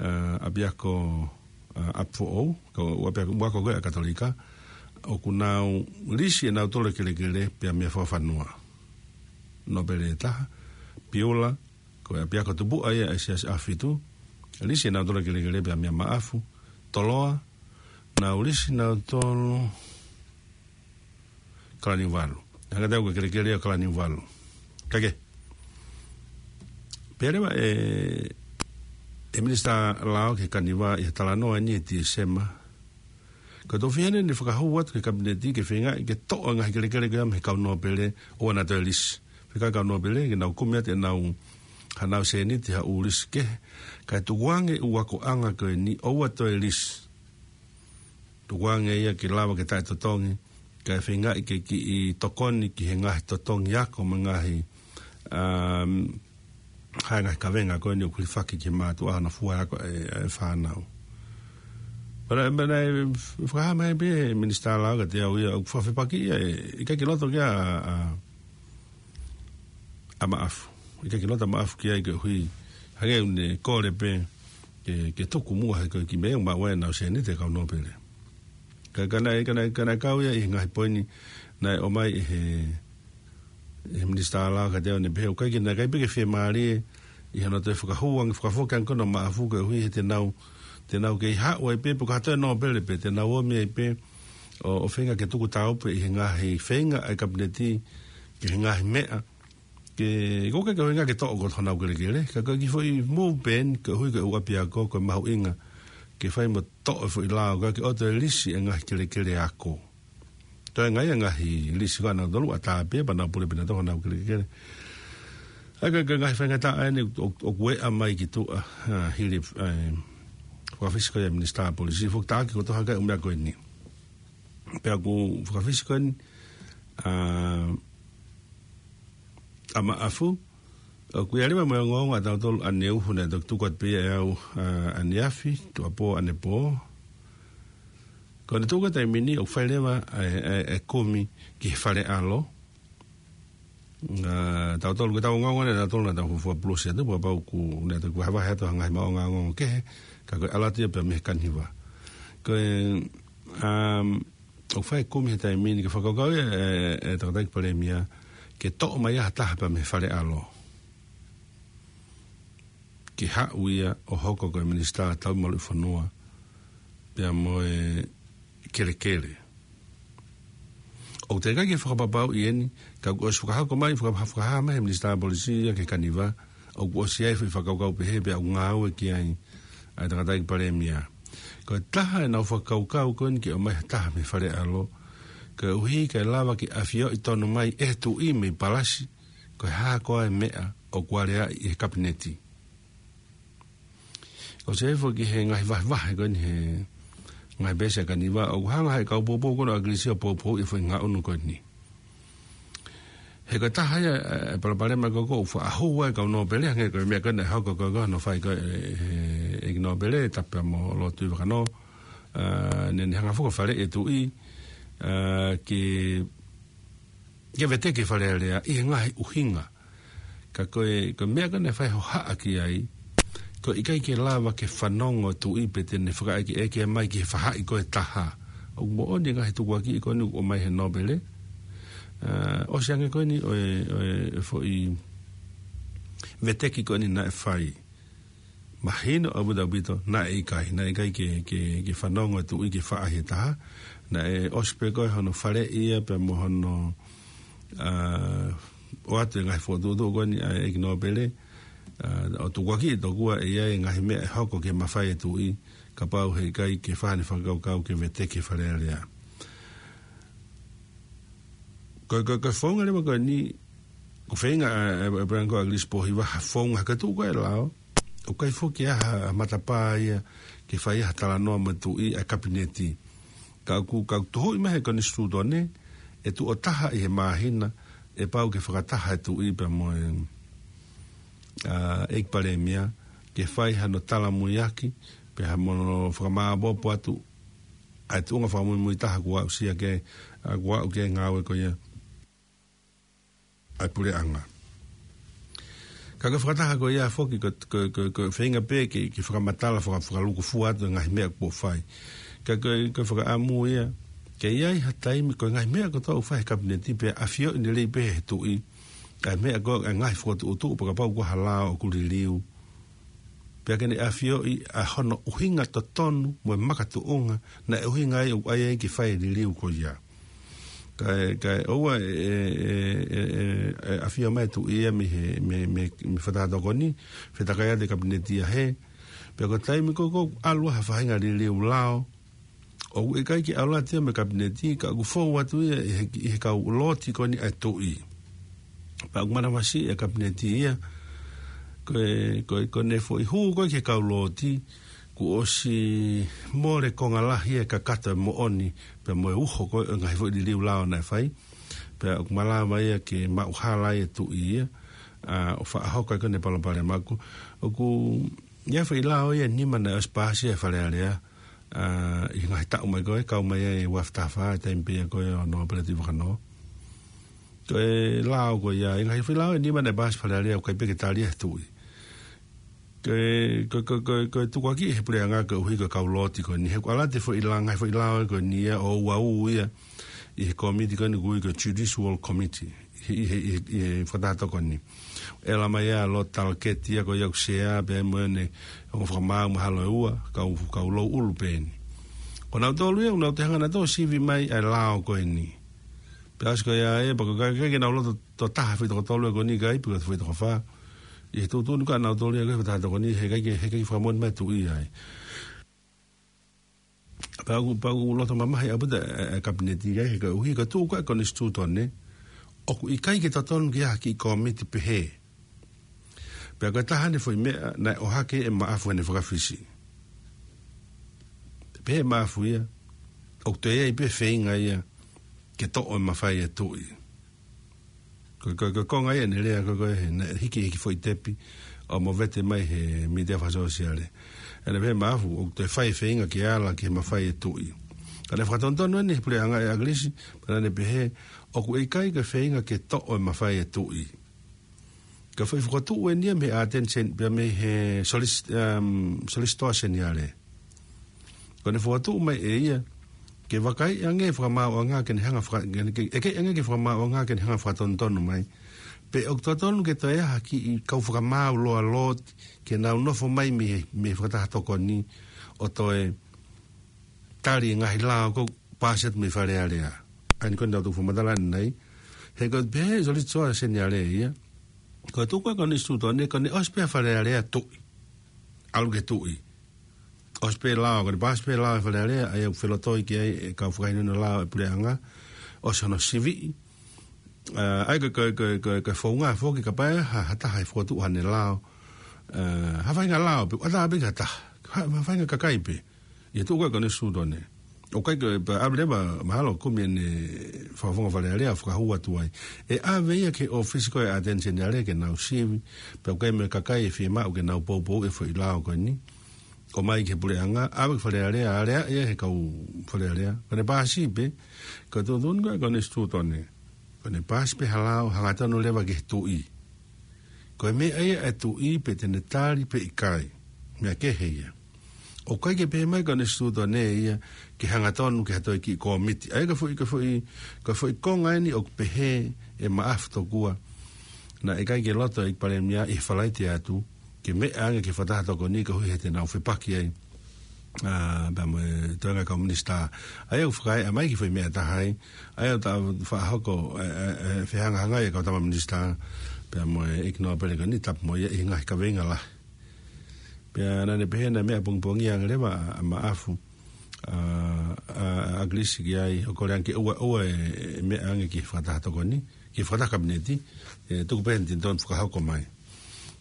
ʻa, ʻApiako, ʻa, ʻApifoʻou, ko e ʻū ʻapiako, ʻū ako ko ē ʻa e Katolika, ʻoku nau lisi ʻenau tolo kelekele pea mei he Fakafanua. Nōpele ʻe taha, Piula, ko e ʻapiako tupuʻa ia ʻa e Siasi ʻAhofitu, lisi ʻenau tolo kelekele pea mei Maʻafu. Toloa, nau lisi ʻenau tolo Kalaniuvalu. Hanga tau ko e kelekele ʻa Kalaniuvalu. Kae kehe, pehē leva ʻe, ʻe Minisitā Lao ki he Kaniva ʻi he talanoa ni ʻi Tīsema. Ko e tofiʻa eni naʻe fakahū atu ki he kapineti ke feingaʻi ke toʻo e ngaahi kelekele ko ia mei he kau nōpele ʻoua naʻa toe lisi. Fekau e kau nōpele ke nau kumi atu ʻenau, haʻanau sēniti ha ʻū lisi kehe. Kae tukuange ʻū akoʻanga ko eni ʻoua toe lisi. Tukuange ia ke lava ke taʻetotongi, kae feingaʻi ke kiʻi tokoni ki he ngaahi totongi ako mo e ngaahi, um, ha ngaahi kavenga ko eni ʻoku hilifaki ki he mātuʻa ʻa hono fua ako e, e fānau. Pea, pea naʻe fakahā mai pē ʻe he Minisitā Lao kiate au ia, ʻoku fakafepaki ia, ʻe, ʻikai ke loto ki ai ʻa, ʻa, ʻa Maʻafu. ʻIkai ke loto ʻa Maʻafu ki ai koeʻuhi, hangē ʻoku ne kole pē ke, ke tuku muʻa he ko e kiʻi meʻa ʻoku maʻu ai ʻenau sēniti e kau nōpele. Ka, ka naʻe, ka naʻe, ka naʻe kau ia ʻi he ngaahi poini naʻe ʻomai ʻe he, ʻe he Minisitā Lao kiate au, ne pehē ʻoku ʻikai ke, naʻe ʻikai pē ke fiemālie ʻi hono toe fakahū ange, fakafoki ange ko ena ʻa Maʻafu koeʻuhi he te nau, te nau kei haʻu ai pē, pe ko ha toe nōpele pē, te nau ōmi ai pē ʻo, ʻo feinga ke tuku tāupe ʻi he ngaahi feinga ʻa e kapineti ki he ngaahi meʻa ke, ʻoku ʻikai ke feinga ke toʻo ko honau kelekele. Ka ko e kiʻi foʻi move pē eni, koeʻuhi ko e ʻū ʻapiako, ko e mahuʻinga ke fai mo toʻo e foʻi lao, ʻikai ke ʻoua toe lisi e ngaahi kelekele ako. Toe ngaahi, ngaahi lisi ko ena ʻe tolu ʻatā pē, pea nau pule pē ʻenau toʻo honau kelekele. ʻA ia ko e, ko e ngaahi faingataʻa eni ʻo, ʻoku ʻea mai ki tuʻa, ʻa, hili, ʻa, fakafisi ko ia ʻa e Minisitā Polisi, foki taki ko e toha kai ʻū meʻa ko eni. Pea ʻoku fakafisi ko eni, ʻa, ʻa Maʻafu, ʻoku ʻi ai leva mo e ongoongo ʻatautolu ʻaneuhu naʻe toki tuku atu pē ia ʻe au, ʻa, ʻaneafi, tuʻuapō, ʻanepō. Ko ʻene tuku atu e taimi ni ʻoku fai leva ʻa e, ʻa e, ʻa e kumi ki he fale ʻalo. ʻA, tautolu ko ʻetau ongoongo naʻa tautolu naʻa tau fuofua pulusi atu, pea kapau ʻoku ne toki vahevahe atu ha ngaahi maʻuʻanga ongoongo kehe, ka ko e ʻalu atu ia pea mei he Kaniva. Ko e, um, ʻoku fai e kumi he taimi ni ke fakakaukau ia ʻe, ʻe, ʻe he tangataʻeiki Palēmia, ke toʻo mai ha taha pea mei he fale ʻalo ke haʻu ia ʻo hoko ko e Minisitā Taumaluʻi Fonua pea mo e Kelekele. ʻOku teʻeki ai ke fakapapauʻi eni, ka kuo ʻosi fakahoko mai, faka-, fakahā mai ʻe he Minisitā Polisi ia ki he Kaniva, ʻoku ʻosi ʻi ai e foʻi fakakaukau pehē pea ʻoku ngāue ki ai ʻa e tangataʻeiki Palēmia. Ko e taha ʻenau fakakaukau ko eni ke ʻomai ha taha mei he fale ʻalo, koeʻuhi kae lava ke ʻafioʻi tonu mai ʻe he Tuʻi mei Palasi ko e hā koā e meʻa ʻoku aleaʻi ʻi he Kapineti. ʻOsi ʻi ai foki e ngaahi vahevahe ko eni he ngaahi peesi ʻa e Kaniva, ʻoku hanga ʻe he kau poupou ko ena ʻa ʻAkilisi ʻo poupouʻi e foʻi ngaʻunu ko eni. He ko e taha ia e palopalema ko ē ʻoku faʻa hū ai e kau nōpele, hangē ko e meʻa ko ē naʻe hoko ko ē ko hono fai ko ē ʻe he ʻEiki Nōpele, Tapu pea mo Lord Tuʻivakanō, ʻa, ne, ne hanga foki ʻo faleʻi e Tuʻi, ʻa, ke, ke veteki e Fale Alea ʻi he ngaahi ʻuhinga. Ka ko e, ko e meʻa ko ē naʻe fai hohaʻa ki ai, ko e ʻikai ke lava ke fanongo e Tuʻi pe te ne fakaʻekeʻeke mai ki he faʻahi ko ē ʻe taha. ʻOku moʻoni e ngaahi tukuakiʻi ko eni ʻoku ʻomai ʻe he nōpele. ʻA, ʻosi ange ko eni ʻo e, ʻo e foʻi veteki ko eni naʻe fai. Mahino ʻaupito ʻaupito, naʻe ʻikai, naʻe ʻikai ke, ke, ke fanongo e Tuʻi ki he faʻahi ʻe taha. Naʻe ʻosi pē ko ē hono faleʻi ia pea mo hono, ʻa, ʻoatu e ngaahi fokotuʻutuʻu ko eni ʻa e ʻEiki Nōpele, ʻa, ʻo tukuakiʻi tokua ʻe ʻi ai e ngaahi meʻa ʻe hoko ki he mafai e Tuʻi, kapau he ʻikai ke fai haʻane fakakaukau ke veteki e Fale Alea. Ko, ko, ko e founga leva ko eni, ʻoku feinga ʻa, ʻa, ʻa Palēmia ko ʻAkilisi Pōhiva ha founga ha ka tuʻu ko ē lao, ʻOku ʻikai foki ha matapā ia ke fai ha talanoa mo e tuʻi ʻa e kapineti. Ka ʻoku, ka ʻoku tuhuʻi mai he konisitūtone, ʻe tuʻo taha ʻi he māhina, ʻe pau ke fakataha e tuʻi pea mo e, ʻa, ʻEiki Palēmia, ke fai hano talamuiaki, pea mo hono fakamāʻopoʻopo atu, ʻa e tuʻunga fakamuimui taha kuo aʻusia ke, ʻa, kuo aʻu ki he ngāue ko ia ʻa e puleʻanga. Ka ko e fakataha ko ia foki ko, ko, ko, ko e feinga pē ke, ke fakamatala, faka-, fakalūkufua atu e ngaahi meʻa kuo fai. Ka ko, ko e fakaʻamu ia, ke ʻi ai ha taimi ko e ngaahi meʻa kotoa ʻoku fai he kapineti pea ʻafioʻi lelei pē he tuʻi, ʻa e meʻa ko e ngaahi fokotuʻutuʻu pea kapau ko ha lao ʻoku liliu. Pea ke ne ʻafioʻi ʻa hono ʻuhinga totonu mo e makatuʻunga naʻe ʻuhinga ai ʻoku ʻai ai ke fai e liliu ko ia. Kae, kae ʻoua ʻe, ʻe, ʻe, ʻe, ʻe ʻafio mai e tuʻi ia mei he, mei, mei, mei he fakataha tokoni, fetakai atu e kapineti ia he. Pea ko e taimi ko ē ʻoku ʻalu ai ha faʻahinga liliu lao, ʻoku ʻikai ke ʻalu atu ia mei he kapineti, ka ʻoku fou atu ia ʻi he, ʻi he kau looti ko eni ʻa e tuʻi. Pea ʻoku manavasiʻi e kapineti ia, ko e, ko e, ko ʻene foʻi hū ko ē ki he kau looti, kuo ʻosi mole konga lahi e kakato e moʻoni, pea mo e uho ko ē ʻo e ngaahi foʻi liliu lao naʻe fai. Pea ʻoku malava ia ke maʻuhala ai e tuʻi ia, ʻa, ʻo fakahoko ai ko ē ʻene palopalema. ʻOku, ʻoku ʻi ai e foʻi lao ia ʻe nima naʻe ʻosi paasi ʻe he Fale Alea, ʻa, ʻi he ngaahi taʻu mai ko ē, kau mai ai e ua afe taha fā, e taimi pē ia ko ē ʻo Nōpele Tuʻivakanō. Ko e lao ko ia, ʻi he ngaahi foʻi lao ʻe nima naʻe paasi Fale Alea, ʻoku ʻikai pē ke tali ia he tuʻi. Ko e, ko, ko, ko, ko e tukuakiʻi he puleʻanga koeʻuhi ko e kau looti ko eni. He ʻoku ʻalu atu e foʻi lao, ngaahi foʻi lao ko eni ia ʻo uaū ia ʻi he kōmiti ko eni ʻoku ui ko e Judicial Committee. ʻI he, ʻi he, ʻi he, ʻi he fakataha tokoni. ʻE ʻalu mai ia ʻa Lord Talcott ia ko ia ʻoku sea pea mo ʻene ongo fakamaau mahalo ʻe ua, kau, kau louʻulu pē eni. Ko nautolu ia, ʻoku nau toe hanga nautolu ʻo sivi mai ʻa e lao ko eni. Pea ʻosi ko ia ē, pea ko e ʻikai, ʻikai ke nau loto tō taha foʻi toko tolu ē ko eni ʻikai, pe ko e foʻi toko fā. ʻI he tuʻutuʻuni ko ē ʻa nautolu ia ko e fakataha tokoni, he ʻikai ke, he ʻikai ke fakamoʻoni mai e tuʻi ai. Pea ʻoku, pea ʻoku loto mamahi ʻaupito e, e, e kapineti ia he koeʻuhi ko e tuʻu ko ē e konisitūtone, ʻoku ʻikai ke totonu ke ʻi ai ha kiʻi kōmiti pehē. Pea ko e taha eni e foʻi meʻa naʻe ʻohake ʻe Maʻafu ʻene fakafisi. Pehē ʻe Maʻafu ia, ʻoku toe ʻi ai pē feinga ia ke toʻo e mafai e tuʻi. Ko, ko, ko e konga ia ʻene lea ko, ko e he, naʻe hiki, hiki foʻi tepi ʻo movete mai he mītia fakasōsiale. ʻEne pehē ʻe Maʻafu, ʻoku toe fai e feinga ke ala ki he mafai e tuʻi. Ka naʻe fakatonutonu eni he puleʻanga ʻe ʻAkilisi, pea naʻa ne pehē, ʻoku ʻikai ko e feinga ke toʻo e mafai e tuʻi. Ko e foʻi fokotuʻu eni ia mei he Attorney Gen-, pea mei he Solis-, um, Solicitor General. Ko ʻene fokotuʻu mai ʻe ia, ke vakaiʻi ange e fakamaauʻanga ke ne hanga faka-, ke, ke, ʻeke ange ki he fakamaauʻanga ke ne hanga fakatonutonu mai. Pe ʻoku totonu ke toe ʻi ai ha kiʻi kau fakamaau loalooti, ke nau nofo mai mei he, mei he fakataha tokoni, ʻo toe tali e ngaahi lao kuo paasi atu mei Fale Alea. ʻA eni ko eni naʻa tau fakamatala ʻanenai. He ko e pehē ʻe he Solicitor General ia, ko e tuʻu ko ē e konisitūtone, ko ʻene ʻosi pē ʻa Fale Alea tuʻi. ʻAlu ki he tuʻi. ʻOsi pē lao, ko ʻene paasi pē lao ʻe Fale Alea, ʻa ia ʻoku felotoi ki ai e kau fakahinohino lao e puleʻanga, ʻosi hono siviʻi. ʻA, ʻa ia ko e, ko e, ko e, ko e, ko e founga foki kapau ʻe ha, ha taha ʻe fokotuʻu haʻane lao. ʻA, ha faʻahinga lao, pe ʻatā pē ki ha taha. Ha, ha faʻahinga kakai pē. ʻI he tuʻu ko ē e konisitūtone. ʻOku ʻikai ko e, pea ʻave leva, mahalo kumi ʻene fakafofonga Fale Alea, fakahū atu ai. ʻE ʻave ia ki he ʻōfisi ko ē ʻa e Attorney General ke nau sivi, pea ʻoku ʻi ai mo e kakai ʻe fiemaʻu ke nau poupouʻi e foʻi lao ko eni. ʻOmai ki he puleʻanga, ʻave ki Fale Alea, aleaʻi ia ʻe he kau Fale Alea. Ko ʻene paasi pē, ko e tuʻutuʻuni ko ē e konisitūtone. Ko ʻene paasi pē ha lao, hangatonu leva ki he tuʻi. Ko e meʻa ia ʻa e tuʻi pe te ne tali pe ʻikai. Meʻa kehe ia. ʻOku ʻikai ke pehē mai e konisitūtone ia ke hangatonu ki ha toe kiʻi kōmiti. ʻA ia ko e foʻi, ko e foʻi, ko e foʻi konga eni ʻoku pehē ʻe Maʻafu tokua. Naʻe ʻikai ke loto e ʻEiki Palēmia ʻi he Falaite atu, ke meʻa ange ki he fakataha tokoni koeʻuhi he te nau fepaki ai. ʻA, pea mo e toenga kau minisitā. ʻA ia ʻoku fakaeʻa mai e kiʻi foʻi meʻa ʻe taha ai. ʻA ia ʻoku ta fakahoko, ʻe, ʻe, ʻe, fehangahangai e kau tama minisitā. Pea mo e ʻEiki Nōpele ko eni tapu mo ia ʻi he ngaahi kaveinga lahi. Pea naʻa ne pehē naʻe meʻa pongipongia ange leva ʻa, ʻa Maʻafu. ʻA, ʻa, ʻa ʻAkilisi ki ai, ʻo kole ange ke ʻoua, ʻoua ʻe, ʻe meʻa ange ki he fakataha tokoni, ki he fakataha kapineti, ʻe tuku pē ʻene totonu fakahoko mai.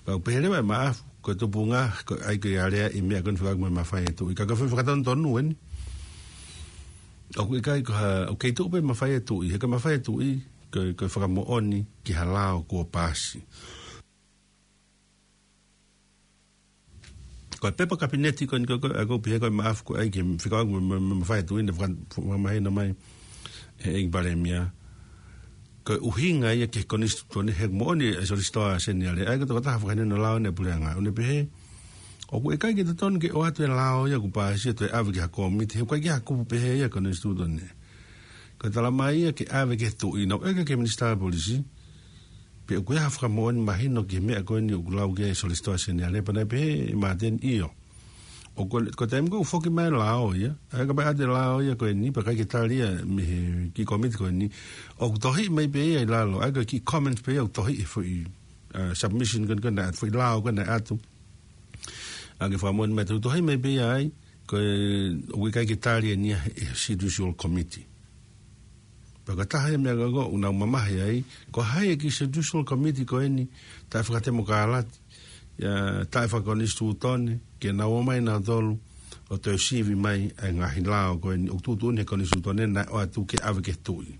Pea ʻoku pehē leva ʻe Maʻafu, Ko e tupunga, ko e ʻai ko e alea ʻi he meʻa ko eni fekauʻaki mo e mafai ʻa e tuʻi. Ka ko e foʻi fakatonutonu eni. ʻOku ʻikai ko ha, ʻoku kei tuʻu pē mafai ʻa e tuʻi. He ko e mafai ʻa e tuʻi, ko e, ko e fakamoʻoni ki ha lao kuo paasi. Ko e pepa kapineti ko eni ko, ko, ʻa ko pihia ko e maʻafu ko e ʻai ke fekauʻaki mo, mo, mo e mafai ʻa e tuʻi naʻe faka-, fakamahino mai ʻe he ʻEiki Palēmia. Ko e ʻuhinga ia ki he konisitūtone he moʻoni ʻa e Solisitā Seniale. ʻA ia ko e tokotaha fakahinohino lao ʻa e puleʻanga. ʻOku ne pehē, ʻoku ʻikai ke totonu ke ʻoatu e lao ia kuo paasi ʻo toe ʻave ki ha kōmiti. He ʻoku ʻikai ke ha kupu pehē ia konisitūtone. Ko e talamai ia ke ʻave ki he tuʻi, naʻe ʻeke ki he Minisitā Polisi. Pe ʻoku ʻi ai ha fakamoʻoni mahino ki he meʻa ko eni ʻoku lau ki ai e Solisitā Seniale, pea naʻe pehē ʻe Māteni ʻio. ʻO ko, ko e taimi ko ē ʻoku foki mai e lao ia, ʻa ia kapau ʻe ʻoatu e lao ia ko eni, pea ʻikai ke tali ia mei he kiʻi kōmiti ko eni, ʻoku tohiʻi mai pē ia ʻi lalo, ʻa ia ko e kiʻi comments pē ia ʻoku tohiʻi he foʻi, uh, submission ko eni ko eni, foʻi lao ko eni ʻoatu. ʻA ia ke fakamoʻoni mai, tohiʻi mai pē ia ai, ko e, ʻoku ʻikai ke tali eni ia ʻe he Judicial Committee. Pea ko e taha ia e meʻa ko ē ʻoku nau mamahi ai, ko hai e kiʻi Judicial Committee ko eni, taʻefakatemokālati, ia, taʻefakakonisitūtone, ke nau ō mai nautolu, ʻo toe sivi mai ʻa e ngaahi lao ko eni, ʻoku tuʻutuʻuni he konisitūtone naʻe ʻoatu ke ʻave ki he tuʻi.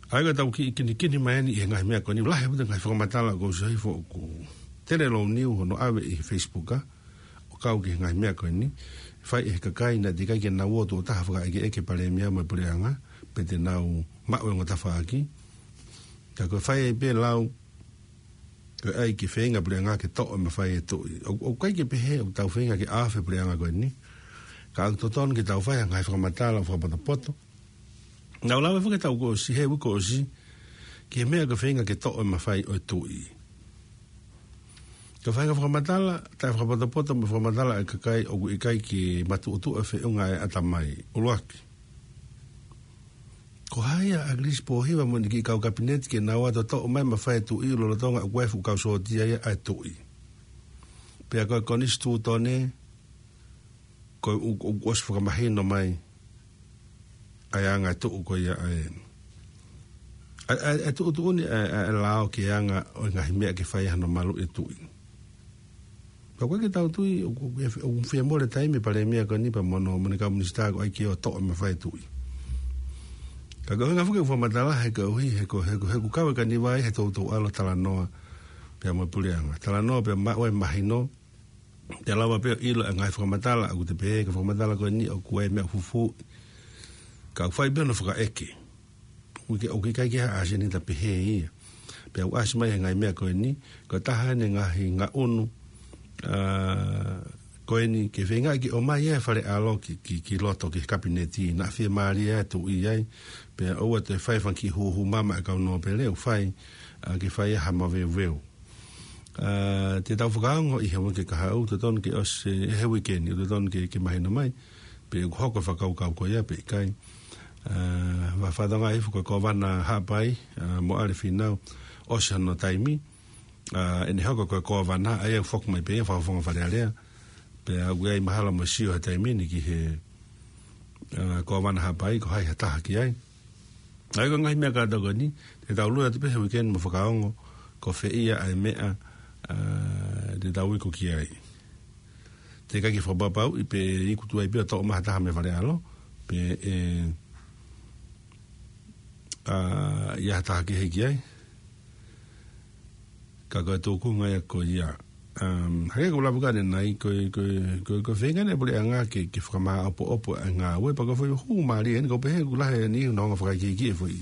ʻA ia ko ʻetau kiʻi kinikini mai eni ʻi he ngaahi meʻa ko eni, lahi ʻaupito e ngaahi fakamatala kuo ʻosi hifo ʻoku tele lou niu hono ʻave ʻi he Facebook, ʻa, ʻo kau ki he ngaahi meʻa ko eni, fai ʻe he kakai naʻe teʻeki ai ke nau ō tuʻo taha fakaʻekeʻeke Palēmia mo e puleʻanga, pe te nau maʻu e ongo tafaʻaki. Ka ko e fai ai pē lau, ko e ʻai ke feinga puleʻanga ke toʻo e mafai ʻa e tuʻi. ʻOku, ʻoku ʻikai ke pehē ʻoku tau feinga ke ʻave puleʻanga ko eni. Ka ʻoku totonu ke tau fai ha ngaahi fakamatala ʻo fakapotopoto. Naʻa ku lave foki he taʻu kuo ʻosi, he uike kuo ʻosi, ki he meʻa ko e feinga ke toʻo e mafai ʻo e tuʻi. Ko e feinga fakamatala, taʻefakapotopoto mo e fakamatala ʻa e kakai ʻoku ʻikai ke matuʻotuʻa e feʻunga ʻa e ʻatamai. ʻUluaki. Ko hai ʻa ʻAkilisi Pōhiva mo ʻene kiʻi kau kapineti ke nau ō atu ʻo toʻo mai e mafai ʻa e tuʻi lolotonga ʻoku ʻi ai e fuʻu kau sōtia ia ʻa e tuʻi. Pea ko e konisitūtone, ko e ʻoku, ʻoku ʻosi fakamahino mai ʻa e anga e tuʻu ko ia ʻa e, ʻa e, ʻa e, ʻa e tuʻutuʻuni ʻa e, ʻa e lao ki he anga ʻo e ngaahi meʻa ke fai ai hano maluʻi e tuʻi. Pea ʻoku ʻikai ke tau tui, ʻoku, ʻoku, ʻoku fie mole taimi e Palēmia ko eni pea mo hono, mo ʻene kau minisitā ko ē ke ō ʻo toʻo e mafai ʻa e tuʻi. Ka ko e ʻuhinga foki ʻeku fakamatala he koeʻuhi, he ko, he ko, he ʻoku kau e kaniva ia he toutou ʻalu ʻo talanoa pea mo e puleʻanga. Talanoa pea maʻu ai e mahino, te lava pē ʻo ʻilo e ngaahi fakamatala, ʻoku te pehē, ko e fakamatala ko eni ʻoku ʻi ai e meʻa fufū. Ka ʻoku fai pē hono fakaʻeke. ʻOku ʻikai, ʻoku ʻikai ke ʻasi eni ta pehē ia. Pea ʻoku ʻasi mai he ngaahi meʻa ko eni, ko e taha eni e ngaahi ngaʻunu, ʻa, ko eni ke feinga ke ʻomai e Fale ʻAlo ki, ki, ki loto ki he kapineti, naʻa fiemālie ʻa e tuʻi ai, pea ʻoua toe fai e fanga kiʻi hūhū mama ʻa e kau nōpele, ʻoku fai, ʻa, ke fai ha maveuveu. ʻA, te tau fakaongo ʻi he uike kahaʻu, totonu ke ʻosi, ʻe he uike ni, totonu ke, ke mahino mai, pe ʻoku hoko e fakakaukau ko ia pe ʻikai. ʻA, ʻoku fatongia hifo ko e Kōvana Haʻapai, ʻa, Moʻale Fīnau, ʻosi hono taimi, ʻa, ʻene hoko ko e Kōvana, ʻa ia ʻoku foki mai pē ia, Fakafofonga Fale Alea, pea ʻoku ʻi ai mahalo mo e sio he taimi ni ki he, ʻa, Kōvana Haʻapai, ko hai ha taha ki ai. ʻA ia ko e ngaahi meʻa kātoa ko eni, te tau lue atu pē he uike ni mo fakaongo, ko fē ia ʻa e meʻa, ʻa, te tau iku ki ai. Teʻeki ai ke fakapapauʻi pe iku tuai pē ʻo toʻo mai ha taha mei Fale ʻAlo, pe ʻe, ʻa, ʻi ai ha taha kehe ki ai. Ka ko e tūkunga ia ko ia. Um, hangē ko e lave ko ē ʻanenai, ko e, ko e, ko e, ko e feinga ʻa e puleʻanga ke, ke fakamāʻopoʻopo ʻa e ngāue, pea ko e foʻi hū mālie eni, ʻoku pehē ʻoku lahi eni hono hanga ʻo fakaikiiki e foʻi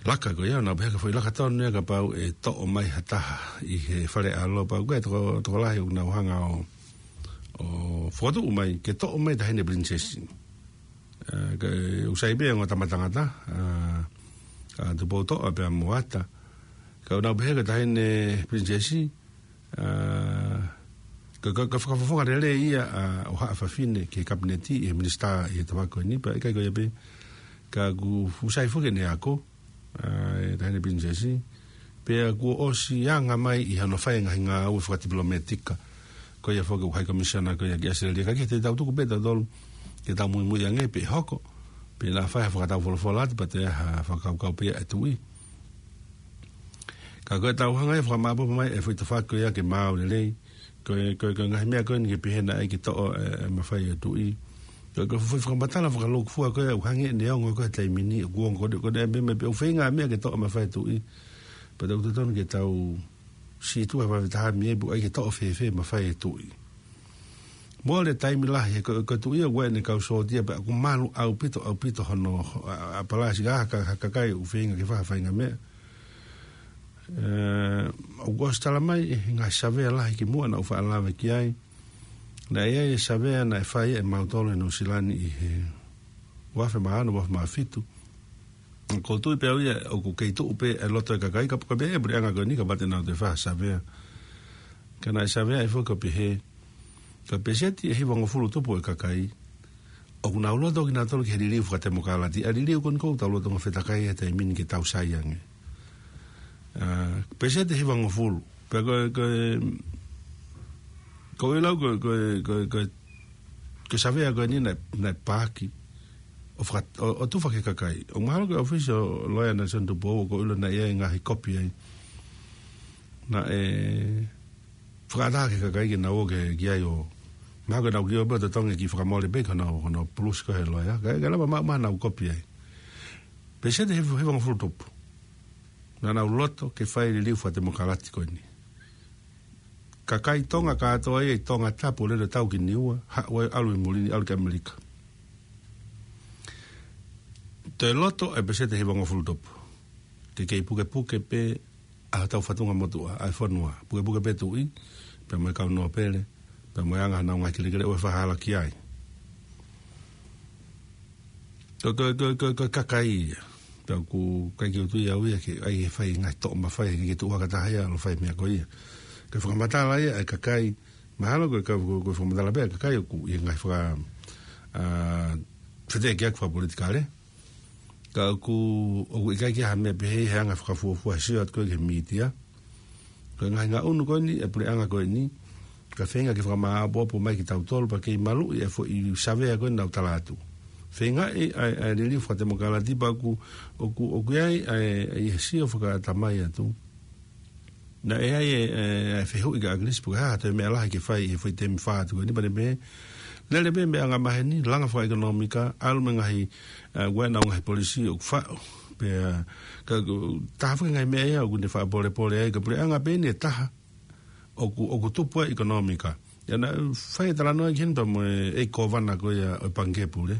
laka ko ia, naʻa pehē ko e foʻi laka tonu ia kapau ʻe toʻo mai ha taha ʻi he Fale ʻAlo, pea ko e toko, tokolahi ʻoku nau hanga ʻo, ʻo fokotuʻu mai, ke toʻo mai e Taʻahine Pilinisesi. ʻA, ka, ʻoku sai pē e ongo tama tangata, ʻa, ʻa Tupoutoʻa pea mo Ata. Ka ʻoku nau pehē ko e Taʻahine Pilinisesi, ʻa, ka, ka, ka fakafofonga lelei ia, ʻa, ʻo haʻa fafine ki he kapineti, ʻi he minisitā, ʻi he tafaʻaki ko eni, pea ʻikai ko ia pē. Ka ʻoku, ʻoku sai foki ʻene ako, ʻa, e Taʻahine Pilinisesi, pea kuo ʻosi anga mai ʻi hono fai e ngaahi ngāue fakatipilometika. Ko ia foki ʻoku High Commissioner ko ia ki ʻAositelēlia. Ka ʻoku ʻikai te tau tuku pē tautolu, ke tau muimui ange pe ʻe hoko, pe naʻa fai ha fakataufolofola atu, pea toe ʻi ai ha fakakaukau pē ia ʻa e tuʻi. Ka ko e tau hanga ʻe fakamāʻopoʻopo mai e foʻi tafaʻaki ko ia ke maau lelei. Ko e, ko e, ko e ngaahi meʻa ko eni ke pehē naʻe ʻikai ke toʻo e, e mafai ʻo e tuʻi. Ko e, ko e foʻi fakamatala fakalūkufua ko ia ʻoku hangē ʻene ongo ko e taimi ni, ʻoku ongo ko e, ko e meʻa, meʻa pē ʻoku feinga meʻa ke toʻo mafai e tuʻi. Pea ʻoku totonu ke tau sītuʻa vave taha mei ai pe ʻoku ʻikai ke toʻo fēfē mafai e tuʻi. Mole taimi lahi, he ko, ko e tuʻi ia ʻoku ʻi ai ʻene kau sōtia pea ʻoku malu ʻaupito, ʻaupito hono, ʻa, ʻa palasi ka, ka, ka, kakai ʻoku feinga ke fai ha faʻahinga meʻa. Ē, ʻoku ʻosi tala mai, ʻi he ngaahi savea lahi kimuʻa naʻa ku faʻa lave ki ai. Naʻe ʻi ai e savea naʻe fai ʻe mautolu ʻi Nuʻusila ni ʻi he uafe mā ono, uafe mā fitu. Ko e tuʻi pē au ia, ʻoku kei tuʻu pē e loto e kakai, ka, ka pehē ʻe he puleʻanga ko eni, ka mate nau te fai ha savea. Ka naʻe savea ʻe foki ʻo pehē, ka peseti ʻe hivangofulu tupu e kakai, ʻoku nau loto kinautolu ki he liliu fakatemokalati, ʻa e liliu ko eni ʻoku tau loto ngofetakai he taimi ni ke tau sai ange. Ā, peseti ʻe hivangofulu. Pea ko e, ko e, ko e lau ko e, ko e, ko e, ko e, ko e savea ko eni naʻe, naʻe paaki ʻo faka-, ʻo, ʻo tufa ki he kakai. ʻOku mahalo ko e ʻōfisi ʻo e loea Nelson Tupou ʻoku ou ʻilo naʻe ʻi ai e ngaahi kopi ai. Naʻe fakaʻatā ki he kakai ke nau ō ki, ki ai ʻo, mahalo ko ʻenau kiʻi ō pē ʻo totongi e kiʻi fakamole pē ko ʻenau, ko ʻenau pulusi ko ē he loea. Kae, kae lava maʻu, maʻu ʻenau kopi ai. Peseti ʻe hiva-, hivangofulu tupu naʻa nau loto ke fai e liliu fakatemokalati ko eni. Kakai Tonga kātoa ia ʻi Tongatapu, lele ʻo tau ki Niua, haʻu ai ʻo ʻalu ʻi muli ni ʻalu ki ʻAmelika. Toe loto e peseti ʻe hivangofulu tupu ke kei pukepuke pē ʻa hotau fatungamotuʻa, ʻa e fonua. Pukepuke pē tuʻi, pea mo e kau nōpele, pea mo e anga honau ngaahi kelekele ʻo e fahala ki ai. Ko, ko, ko, ko, ko e kakai ia. Pea ʻoku ʻikai ke u tui au ia ke ʻai ke fai ngaahi toʻo mafai ke, ke tuʻu hake taha ia ʻo fai meʻa ko ia. Ko e fakamatala ia e kakai, mahalo ko e ka-, ko, ko e fakamatala pē e kakai ʻoku ʻi he ngaahi faka-, ā, feteʻekiʻaki fakapolitikale. Ka ʻoku, ʻoku ʻikai ke ʻi ai ha meʻa pehē he anga fakafuofua he sio atu ko ē ki he mītia. Ko e ngaahi ngaʻunu ko eni e puleʻanga ko eni, ka feinga ke fakamāʻopoʻopo mai kitautolu pea kei maluʻi e foʻi savea ko eni naʻa ku tala atu. Feingaʻi ʻa e, ʻa e liliu fakatemokalati pea ʻoku, ʻoku, ʻoku ʻi ai ʻa e, ʻa e sio fakatamai atu. Naʻe ʻi ai e, e, e fehuʻi kia ʻAkilisi pe ko e hā ha toe meʻa lahi ke fai he foʻi temi fā atu ko eni pea ne pehē, lele pē mei he anga maheni, langa fakaʻekonōmika, ʻalu mei he ngaahi, ē, ʻoku ʻi ai ʻenau ngaahi polisi ʻoku faʻo. Pea, ka, ka, taha foki e ngaahi meʻa ia ʻoku ne faʻa polepole ai, ko e puleʻanga pē eni ʻe taha ʻoku, ʻoku tupu ai e ʻekonōmika. ʻIo, naʻe fai e talanoa ki heni pea mo e, e kōvana ko ia ʻo e Pangikē Pule.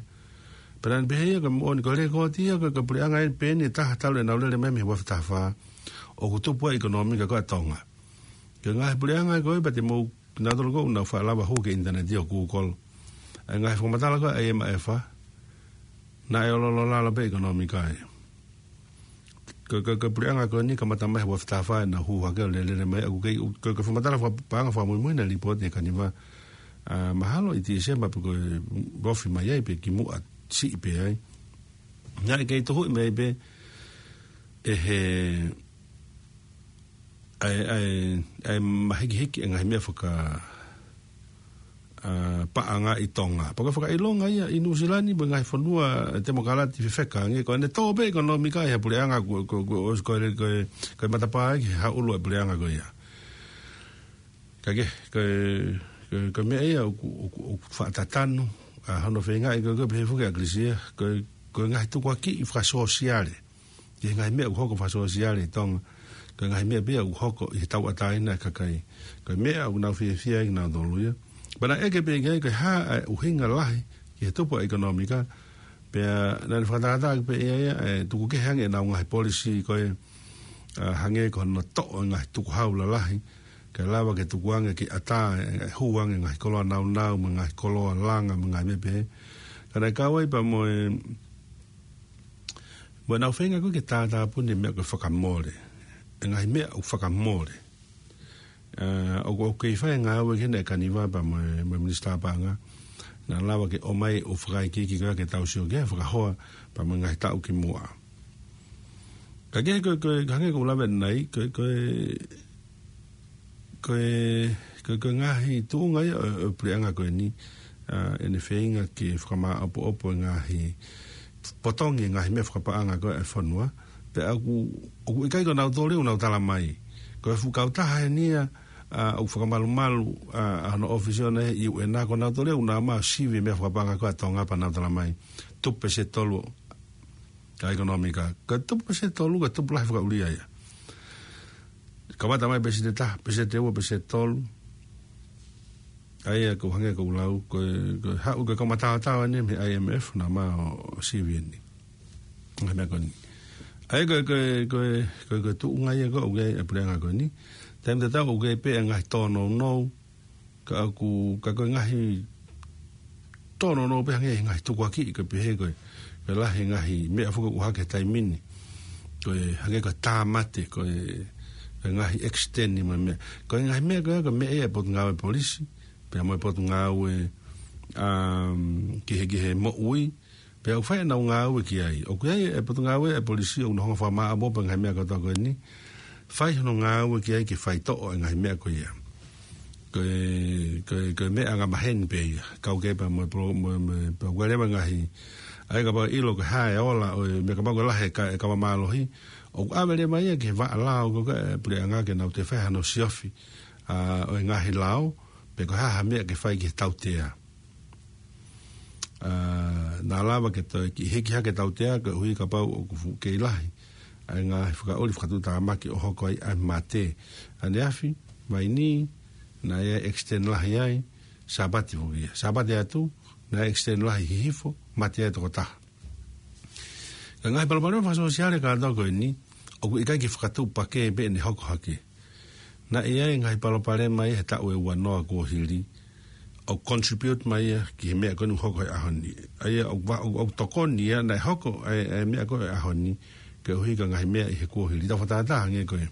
Pea naʻa ne pehē ia ka moʻoni ko e lekooti ia ko e, ko e puleʻanga eni pē eni ʻe taha talu ʻenau lele mai mei he uafe taha fā, ʻoku tupu ai e ʻekonōmika ko ē ʻa Tonga. Ko e ngaahi puleʻanga ko ē pea te mou, nautolu ko ē ʻoku nau faʻa lava hū ki he ʻinitaneti ʻo Google. ʻA e ngaahi fakamatala ko ē ʻa e M F, naʻe ʻololo lalo pē e ʻekonōmika ia. Ko, ko, ko e puleʻanga ko eni kamata mai he uafe taha fā ʻenau hū hake ʻo lele mai, ʻoku kei, ko, ko e fakamatala faka-, paʻanga fakamuimui naʻe lipooti ʻe he Kaniva, ā, mahalo ʻi Tīsema pe ko e ofi mai ai pe kimuʻa siʻi pē ai. Naʻe kei tuhuʻi mai pē ʻe he, ʻa e, ʻa e, ʻa e mahikihiki e ngaahi meʻa faka-, ā, paʻanga ʻi Tonga. Pea ko e fakaʻilonga ia ʻi Nuʻusila ni mo e ngaahi fonua temokalati fefeka ange, ko ʻene tō pē e ʻekonōmika ʻi ha puleʻanga ko, ko, ko, ko, ko e, ko e matapā ia ki he haʻulu e puleʻanga ko ia. Ka ke, ko e, ko e, ko e meʻa ia ʻoku, ʻoku, ʻoku faʻa tatanu, ā, hono feingaʻi ko e, ko e pehē foki ʻe ʻAkilisi ia, ko e, ko e ngaahi tukuakiʻi fakasōsiale. Ki he ngaahi meʻa ʻoku hoko fakasōsiale ʻi Tonga, ko e ngaahi meʻa pē ia ʻoku hoko ʻi he tauʻatāina e kakai. Ko e meʻa ʻoku nau fiefia ai kinautolu ia. Pea naʻe ʻeke pē ki ai, ko e hā e ʻuhinga lahi ki he tupu e ʻekonōmika, pea naʻa ne fakatātā pē ia, ia, ē, tuku kehe ange ʻenau ngaahi polisi ko ē, ā, hangē ko hono toʻo e ngaahi tukuhau lalahi, ke lava ke tukuange ke ʻatā, ē, hū ange e ngaahi koloa naunau, mo e ngaahi koloa langa, mo e ngaahi meʻa pehē. Ka naʻe kau ai pea mo e, mo ʻenau feinga ko ē ke tātāpuni e meʻa ko e fakamole. E ngaahi meʻa ʻoku fakamole. Ā, ʻoku, ʻoku kei fai e ngāue ki heni e Kaniva pea mo e, mo e Minisitā Paʻanga. Naʻa lava ke ʻomai ʻo fakaikiiki ko ia ke tau sio ki ai, fakahoa pea mo e ngaahi taʻu kimuʻa. Ka ke, ko, ko, hangē ko ʻeku lave ʻanenai, ko, ko, ko e, ko, ko e ngaahi tuʻunga ia ʻo, ʻo e puleʻanga ko eni, ā, ʻene feinga ke fakamāʻopoʻopo e ngaahi potongi e ngaahi meʻa fakapaʻanga ko ē ʻa e fonua, Pea ʻoku, ʻoku ʻikai ko nautolu ʻoku nau tala mai. Ko e fuʻu kautaha eni ia, ʻa, ʻoku fakamalumalu, ʻa, ʻa hono ʻōfisi ʻoʻona ʻi he U N, ko nautolu ʻoku nau ō mai ʻo sivi e meʻa fakapaʻanga ko ē ʻa Tonga pea nau tala mai. Tupu pēseti tolu ʻa e ʻekonōmika. Ko e tupu pēseti tolu, ko e tupu lahi fakaʻulia ia. Kamata mai pēseti taha, pēseti ua, pēseti tolu. ʻA ia ʻoku hangē ko ʻeku lau, ko e, ko e haʻu ko e kau mataotao eni mei he I M F, nau ō mai ʻo sivi eni. Ngaahi meʻa ko eni. ʻA ia ko e, ko e, ko e, ko e, ko e tuʻunga ia ko ē ʻoku ʻi ai e puleʻanga ko eni. Taimi tatau ʻoku ʻi ai pē ngaahi tōnounou, ka ʻoku, ka ko e ngaahi tōnounou pē hangē he ngaahi tukuakiʻi ko e pehē ko e, ko e lahi e ngaahi meʻa foki ʻoku ʻohake he taimi ni. Ko e hangē ko e tāmate, ko e, ko e ngaahi extend mo e meʻa. Ko e ngaahi meʻa ko ē ko e meʻa ia ʻa e Potungāue Polisi, pea mo e Potungāue, um, Kehekehe Moʻui, pea ʻoku fai ʻenau ngāue ki ai. ʻOku ʻi ai e Potungāue ʻa e Polisi ʻoku nau hanga ʻo fakamāʻopoʻopo e ngaahi meʻa kotoa ko eni. Fai hono ngāue ki ai ke faitoʻo e ngaahi meʻa ko ia. Ko e, ko e, ko e meʻa angamaheni pē ia. Kau ki ai pea mo e polo-, mo e, mo e, pea ʻoku ʻi ai leva e ngaahi. ʻA ia kapau ʻe ʻilo ko e hā e ola ʻo e meʻa kapau ko e lahi e ka-, e kava mālohi. ʻOku ʻave leva ia ki he vaʻa lao ko ē ʻa e puleʻanga ke nau toe fai hano siofi, ʻa, ʻo e ngaahi lao, pe ko e hā ha meʻa ke fai ki he tautea. ʻA, naʻa lava ke toe kiʻi hiki hake e tautea, koeʻuhi kapau ʻoku fuʻu kei lahi ʻa e ngaahi fakaʻuli fakatuʻutāmaki ʻo hoko ai ʻa e mate. ʻAneafi, vaini, naʻe ʻi ai e extend lahi ai, Sāpate foki ia. Sāpate atu, naʻe extend lahi Hihifo, mate ai e tokotaha. Ka e ngaahi palopalema fakasōsiale kātoa ko eni, ʻoku ʻikai ke fakatuʻupakē pē ʻene hoko hake. Naʻe ʻi ai e ngaahi palopalema ia he taʻu ʻe ua noa kuo hili, ʻoku contribute mai ia ki he meʻa ko eni ʻoku hoko he ʻaho ni. ʻA ia ʻoku va-, ʻoku, ʻoku tokoni ia naʻe hoko ʻa e, ʻa e meʻa ko ē he ʻaho ni, koeʻuhi ko e ngaahi meʻa ʻi he kuo hili. Tau fakatātā hangē ko e,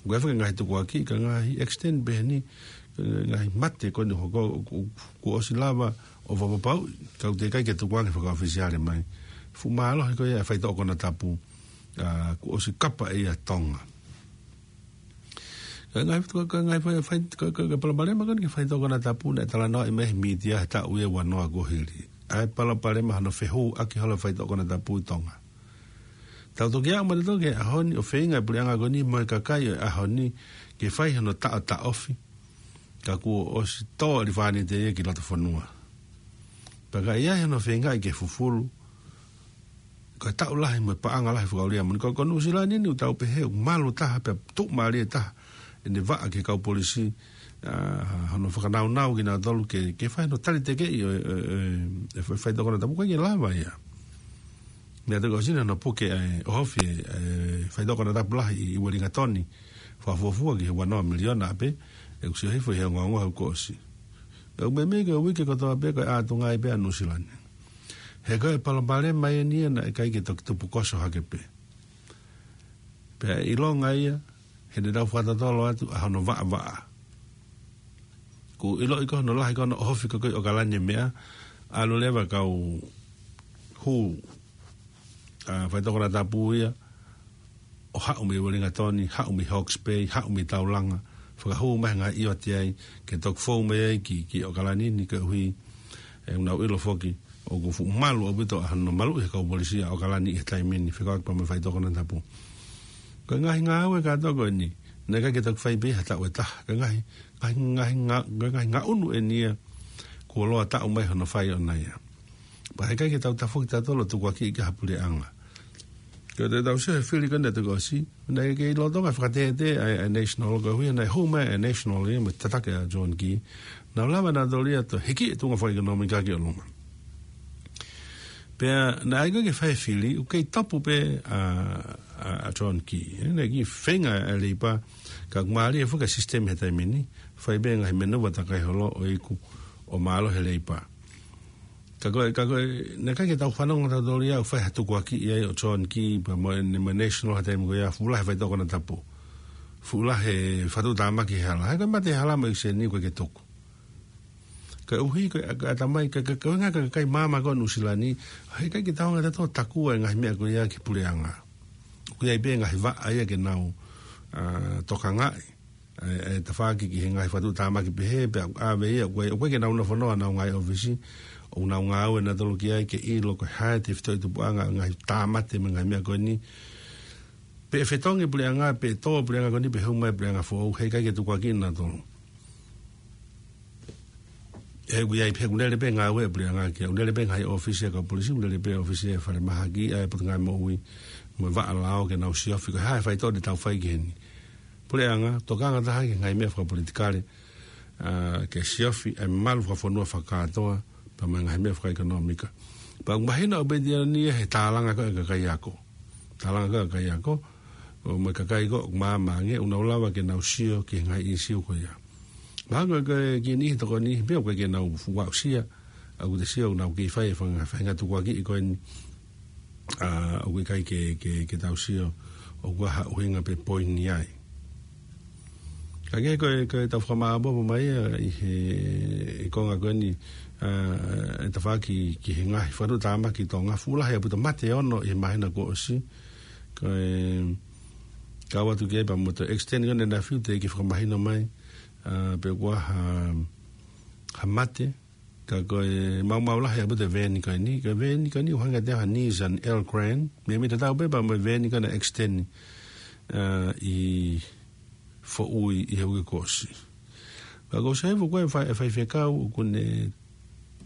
ʻoku ʻi ai foki e ngaahi tukuakiʻi, ko e ngaahi extend pē eni, ko e ngaahi mate ko eni ʻoku hoko, ʻoku, ʻoku, kuo ʻosi lava ʻo fakapapauʻi, ka ʻoku teʻeki ai ke tukuange fakaʻofisiale mai. Fuʻu mālohi ko ia e faitoʻo konatapu, ʻa, kuo ʻosi kapa ʻe ia ʻa Tonga. Ka e ngaahi, ka e ngaahi fai, fai, ka, ka, ka e palopalema ko eni ki he faitoʻo konatapu naʻe talanoaʻi mai he mītia he taʻu ia ʻe ua noa kuo hili. ʻA e palopalema hono fehuʻaki holo e faitoʻo konatapu ʻi Tonga. Tau toki aʻu mai leva ki he ʻaho ni ʻo feinga e puleʻanga ko eni mo e kakai ʻo e ʻaho ni ke fai hono taʻotaʻofi. Ka kuo ʻosi tō ʻa e lifānite ia ki loto fonua. Pea ka ʻi ai hano feingaʻi ke fufulu, ko e taʻu lahi mo e paʻanga lahi fakaʻuli ia moʻoni. Ko, ko Nuʻusila ni ʻoku tau pehē ʻoku malu taha pea tuʻumālie taha ʻene vaʻa ki he kau polisi, ʻa, hono fakanaunau kinautolu ke, ke fai hono tali tekeʻi ʻo e, ʻo e, ʻo e, ʻo e fai-, faitoʻo konatapu, ʻoku ʻikai ke lava ia. Meʻa toki ʻosi ni hono puke ʻa e ʻohofi e, e faitoʻo konatapu lahi ʻi, ʻi Uelingatoni. Fakafuofua ki he ua noa miliona pē, ʻoku sio hifo ʻi he ongoongo he kuo ʻosi. ʻOku meimei ko e uike kotoa pē ko e ʻā tuʻunga ai pē ʻa Nuʻusila ni. He ko e palopalema eni ia naʻe ʻikai ke toki tupukoso hake pē. Pea ʻilonga ia, heʻene tau fakatotolo atu ʻa hono vaʻavaʻa. Kuo ʻiloʻi ko hono lahi ko hono ʻohofi ko ē ʻi ʻOkalani e meʻa, ʻalu leva e kau hū, ʻa, faitoʻo konatapu ia, ʻo haʻu mei Uelingatoni, haʻu mei Hawke's Bay, haʻu mei Taulanga, fakahū mai he ngaahi ʻiote ai, ke toki fou mai ai ki, ki ʻOkalani ni koeʻuhi, ʻe, ʻoku nau ʻilo foki, ʻoku fuʻu malu ʻaupito ʻa hono maluʻi he kau polisi ʻa ʻOkalani ʻi he taimi ni fekauʻaki pea mo e faitoʻo konatapu. Ko e ngaahi ngāue kātoa ko eni, naʻe ʻikai ke toki fai pē ha taʻu ʻe taha, ko e ngaahi, ngaahi, ngaahi nga-, ko e ngaahi ngaʻunu eni ia, kuo loa taʻu mai hono fai ʻona ia. Pea heʻikai ke tau tafoki tautolu ʻo tukuakiʻi ki ha puleʻanga. Ko e tau sio he fili ko eni ʻa e toki ʻosi, naʻe ʻikai ke lolotonga fakatētē ʻa e, ʻa e National koeʻuhi, naʻe hū mai e National ia mo e tataki ʻa John Key. Naʻa nau lava nautolu ia ʻo hiki e tuʻunga fakaʻekonōmika ki ʻolunga. Pea naʻe ʻikai ke fai e fili, ʻoku kei tapu pē ʻa, ʻa, ʻa John Key. Naʻe kiʻi feinga ʻa e Leipa, ka ʻoku mālie foki e sisitemi he taimi ni, fai pē ngaahi menuva takai holo ʻo iku ʻo mālohi e Leipa. Ka ko e, ka ko e, naʻe ʻikai ke tau fanongo tautolu ia ʻo fai ha tukuakiʻi ai ʻo John Key, pea mo e, mo e National he taimi ko ia, fuʻu lahi e faitoʻo konatapu. Fuʻu lahi e fakatuʻutāmaki he hala. He ko e mate he hala mo e ʻekiseni ʻoku ʻikai ke tuku. Koeʻuhi, ko e, ko e ʻatamai, ka, ka, ko e ngaahi ka, ka, kakai maama ko ē ʻo Nuʻusila ni, heʻikai ke tau hanga tautolu ʻo takua e ngaahi meʻa ko ia ki he puleʻanga. ʻOku ʻi ai pē ngaahi vaʻa ia ke nau, ʻa, tokangaʻi. ʻA e, ʻa e tafaʻaki ki he ngaahi fakatuʻutāmaki pehē, pea ʻave ia, ʻoku ʻikai, ʻoku ʻikai ke nau nofo noa ʻenau ngaahi ʻōfisi, ʻoku nau ngāue nautolu ki ai ke ʻilo ko e hā e tefitoʻi tupuʻanga ʻo e ngaahi tāmate mo e ngaahi meʻa ko eni. Pe ʻe fetongi e puleʻanga, pe ʻe tō e puleʻanga ko eni, pe ʻe haʻu mai e puleʻanga foʻou, heʻikai ke tukuakiʻi nautolu. He ʻoku ʻi ai, he ʻoku lele pē ngāue e puleʻanga ki ai, ʻoku lele pē ngaahi ʻōfisi ʻa e kau polisi, ʻoku lele pē ʻōfisi e falemahaki, ʻa e Potungāue Moʻui, mo e Vaʻa Lao ke nau siofi, ko e hā e faitoʻo te tau fai ki heni. Puleʻanga, tokanga taha ki he ngaahi meʻa fakapolitikale, ʻa, ke siofi e malu fakafonua fakakātoa, pea mo e ngaahi meʻa fakaʻekonōmika. Pea ʻoku mahino ʻaupito ia he tālanga ko ē ʻa e kakai ako. Tālanga ko ē ʻa e kakai ako, ʻo mo e kakai ko ē ʻoku māmā ange, ʻoku nau lava ke nau sio ki he ngaahi ʻīsiu ko ia. Mahalo ko e kiʻi niʻihi tokoni, pea ʻoku ʻikai ke nau fuʻu aʻusia, ʻa ʻoku te sio ʻoku nau kei fai e fanga-, faʻahinga tukuakiʻi ko eni, ʻa, ʻoku ʻikai ke, ke, ke tau sio ʻoku ʻi ai ha ʻuhinga pe poini ai. Ka ko e, ko e tau fakamāʻopoʻopo mai ia ʻi he, ʻi he konga ko eni, ʻa, ʻe tafaʻaki ki he ngaahi fakatuʻutāmaki ʻi Tonga, fuʻu lahi ʻaupito mate ʻe ono ʻi he māhina kuo ʻosi. Ko e kau atu ki ai pea mo e extend ko eni ʻa e fiu teʻeki fakamahino mai, ʻa, pe ʻoku ʻi ai ha, ha mate, ka ko e maumau lahi ʻaupito e veeni ko eni, ko e veeni ko eni ʻoku hangē ʻoku ʻi ai ha Nissan Elgrand, meimei tatau pē pea mo e veeni ko ena extend, ʻa, ʻi Foʻui ʻi he uike kuo ʻosi. Pea ko Saifu ko e fai-, e faifekau, ʻoku ne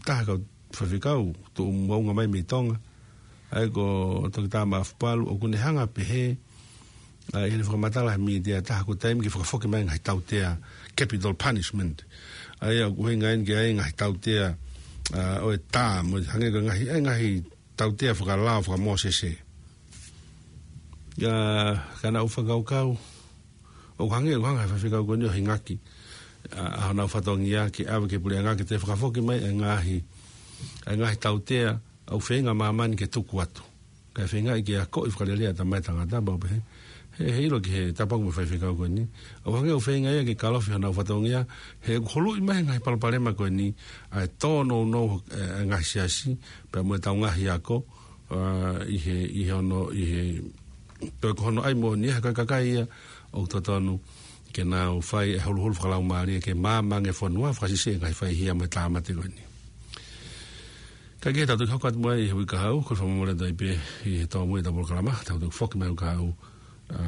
taha kau faifekau, tuʻu moʻunga mai mei Tonga, ʻa ia ko Toketā Maʻafupalu, ʻoku ne hanga ʻo pehē, ʻa, ʻi heʻene fakamatala he mītia ʻe taha ko e taimi ke fakafoki mai ngaahi tautea capital punishment. ʻA ia ʻoku ʻuhinga eni ki ai ngaahi tautea, ʻa, ʻo e tā, mo hangē ko e ngaahi, ʻa e ngaahi tautea fakalao, faka-Mōsese. ʻA, ka naʻa ku fakakaukau, ʻoku hangē, ʻoku hanga ʻe he faifekau ko eni ʻo hingaki, ʻa, ʻa honau fatongia ke ʻave ki he puleʻanga ke toe fakafoki mai e ngaahi, e ngaahi tautea ʻoku feinga māmani ke tuku atu. Kae feingaʻi ke akoʻi fakalelei ʻa e tamaiki tangata pau pē he, he, he ʻilo ki he tāpuaki mo e faifekau ko eni. ʻOku hangē ʻoku feinga ia ke kalofi honau fatongia, he ʻoku huluʻi mai e ngaahi palopalema ko eni, ʻa e tōnounou, ʻe, e ngaahi siasi, pea mo e tau ngaahi ako, ʻa, ʻi he, ʻi he ono, ʻi he, ko e ko hono ʻai moʻoni, he ko e kakai ia ʻoku totonu ke nau fai e huluhulu fakalaumālie ke maama ange e fonua, fakasiʻisiʻi e ngaahi faihia mo e tāmate ko eni. Ka ke tau toki hoko atu mai ʻi he uike kahaʻu, ko e fakamolemole atu ai pē ʻi he tōmui ʻetau polokalama, tau toki foki mai he uike kahaʻu, ʻa,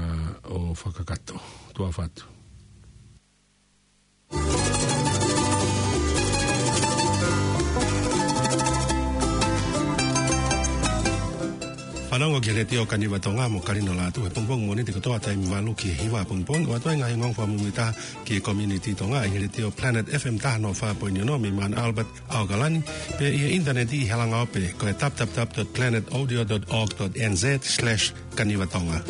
ʻo fakakakato. Tuʻa ʻofa atu. Fanongo ki he Letiō Kaniva Tonga mo Kalino Lātū he pongipongi Mōnite kotoa taimi valu ki he hiva pongipongi, ʻo ʻoatu ai e ngaahi ongoongo fakamuimuitaha ki he community Tonga ʻi he Letiō Planet F M taha noa fā poini ono mei Mount Albert, ʻAokalani, pea ʻi he ʻinitaneti ʻi he langa ope ko e w w w dot planet audio dot org dot n z slash kaniva tonga.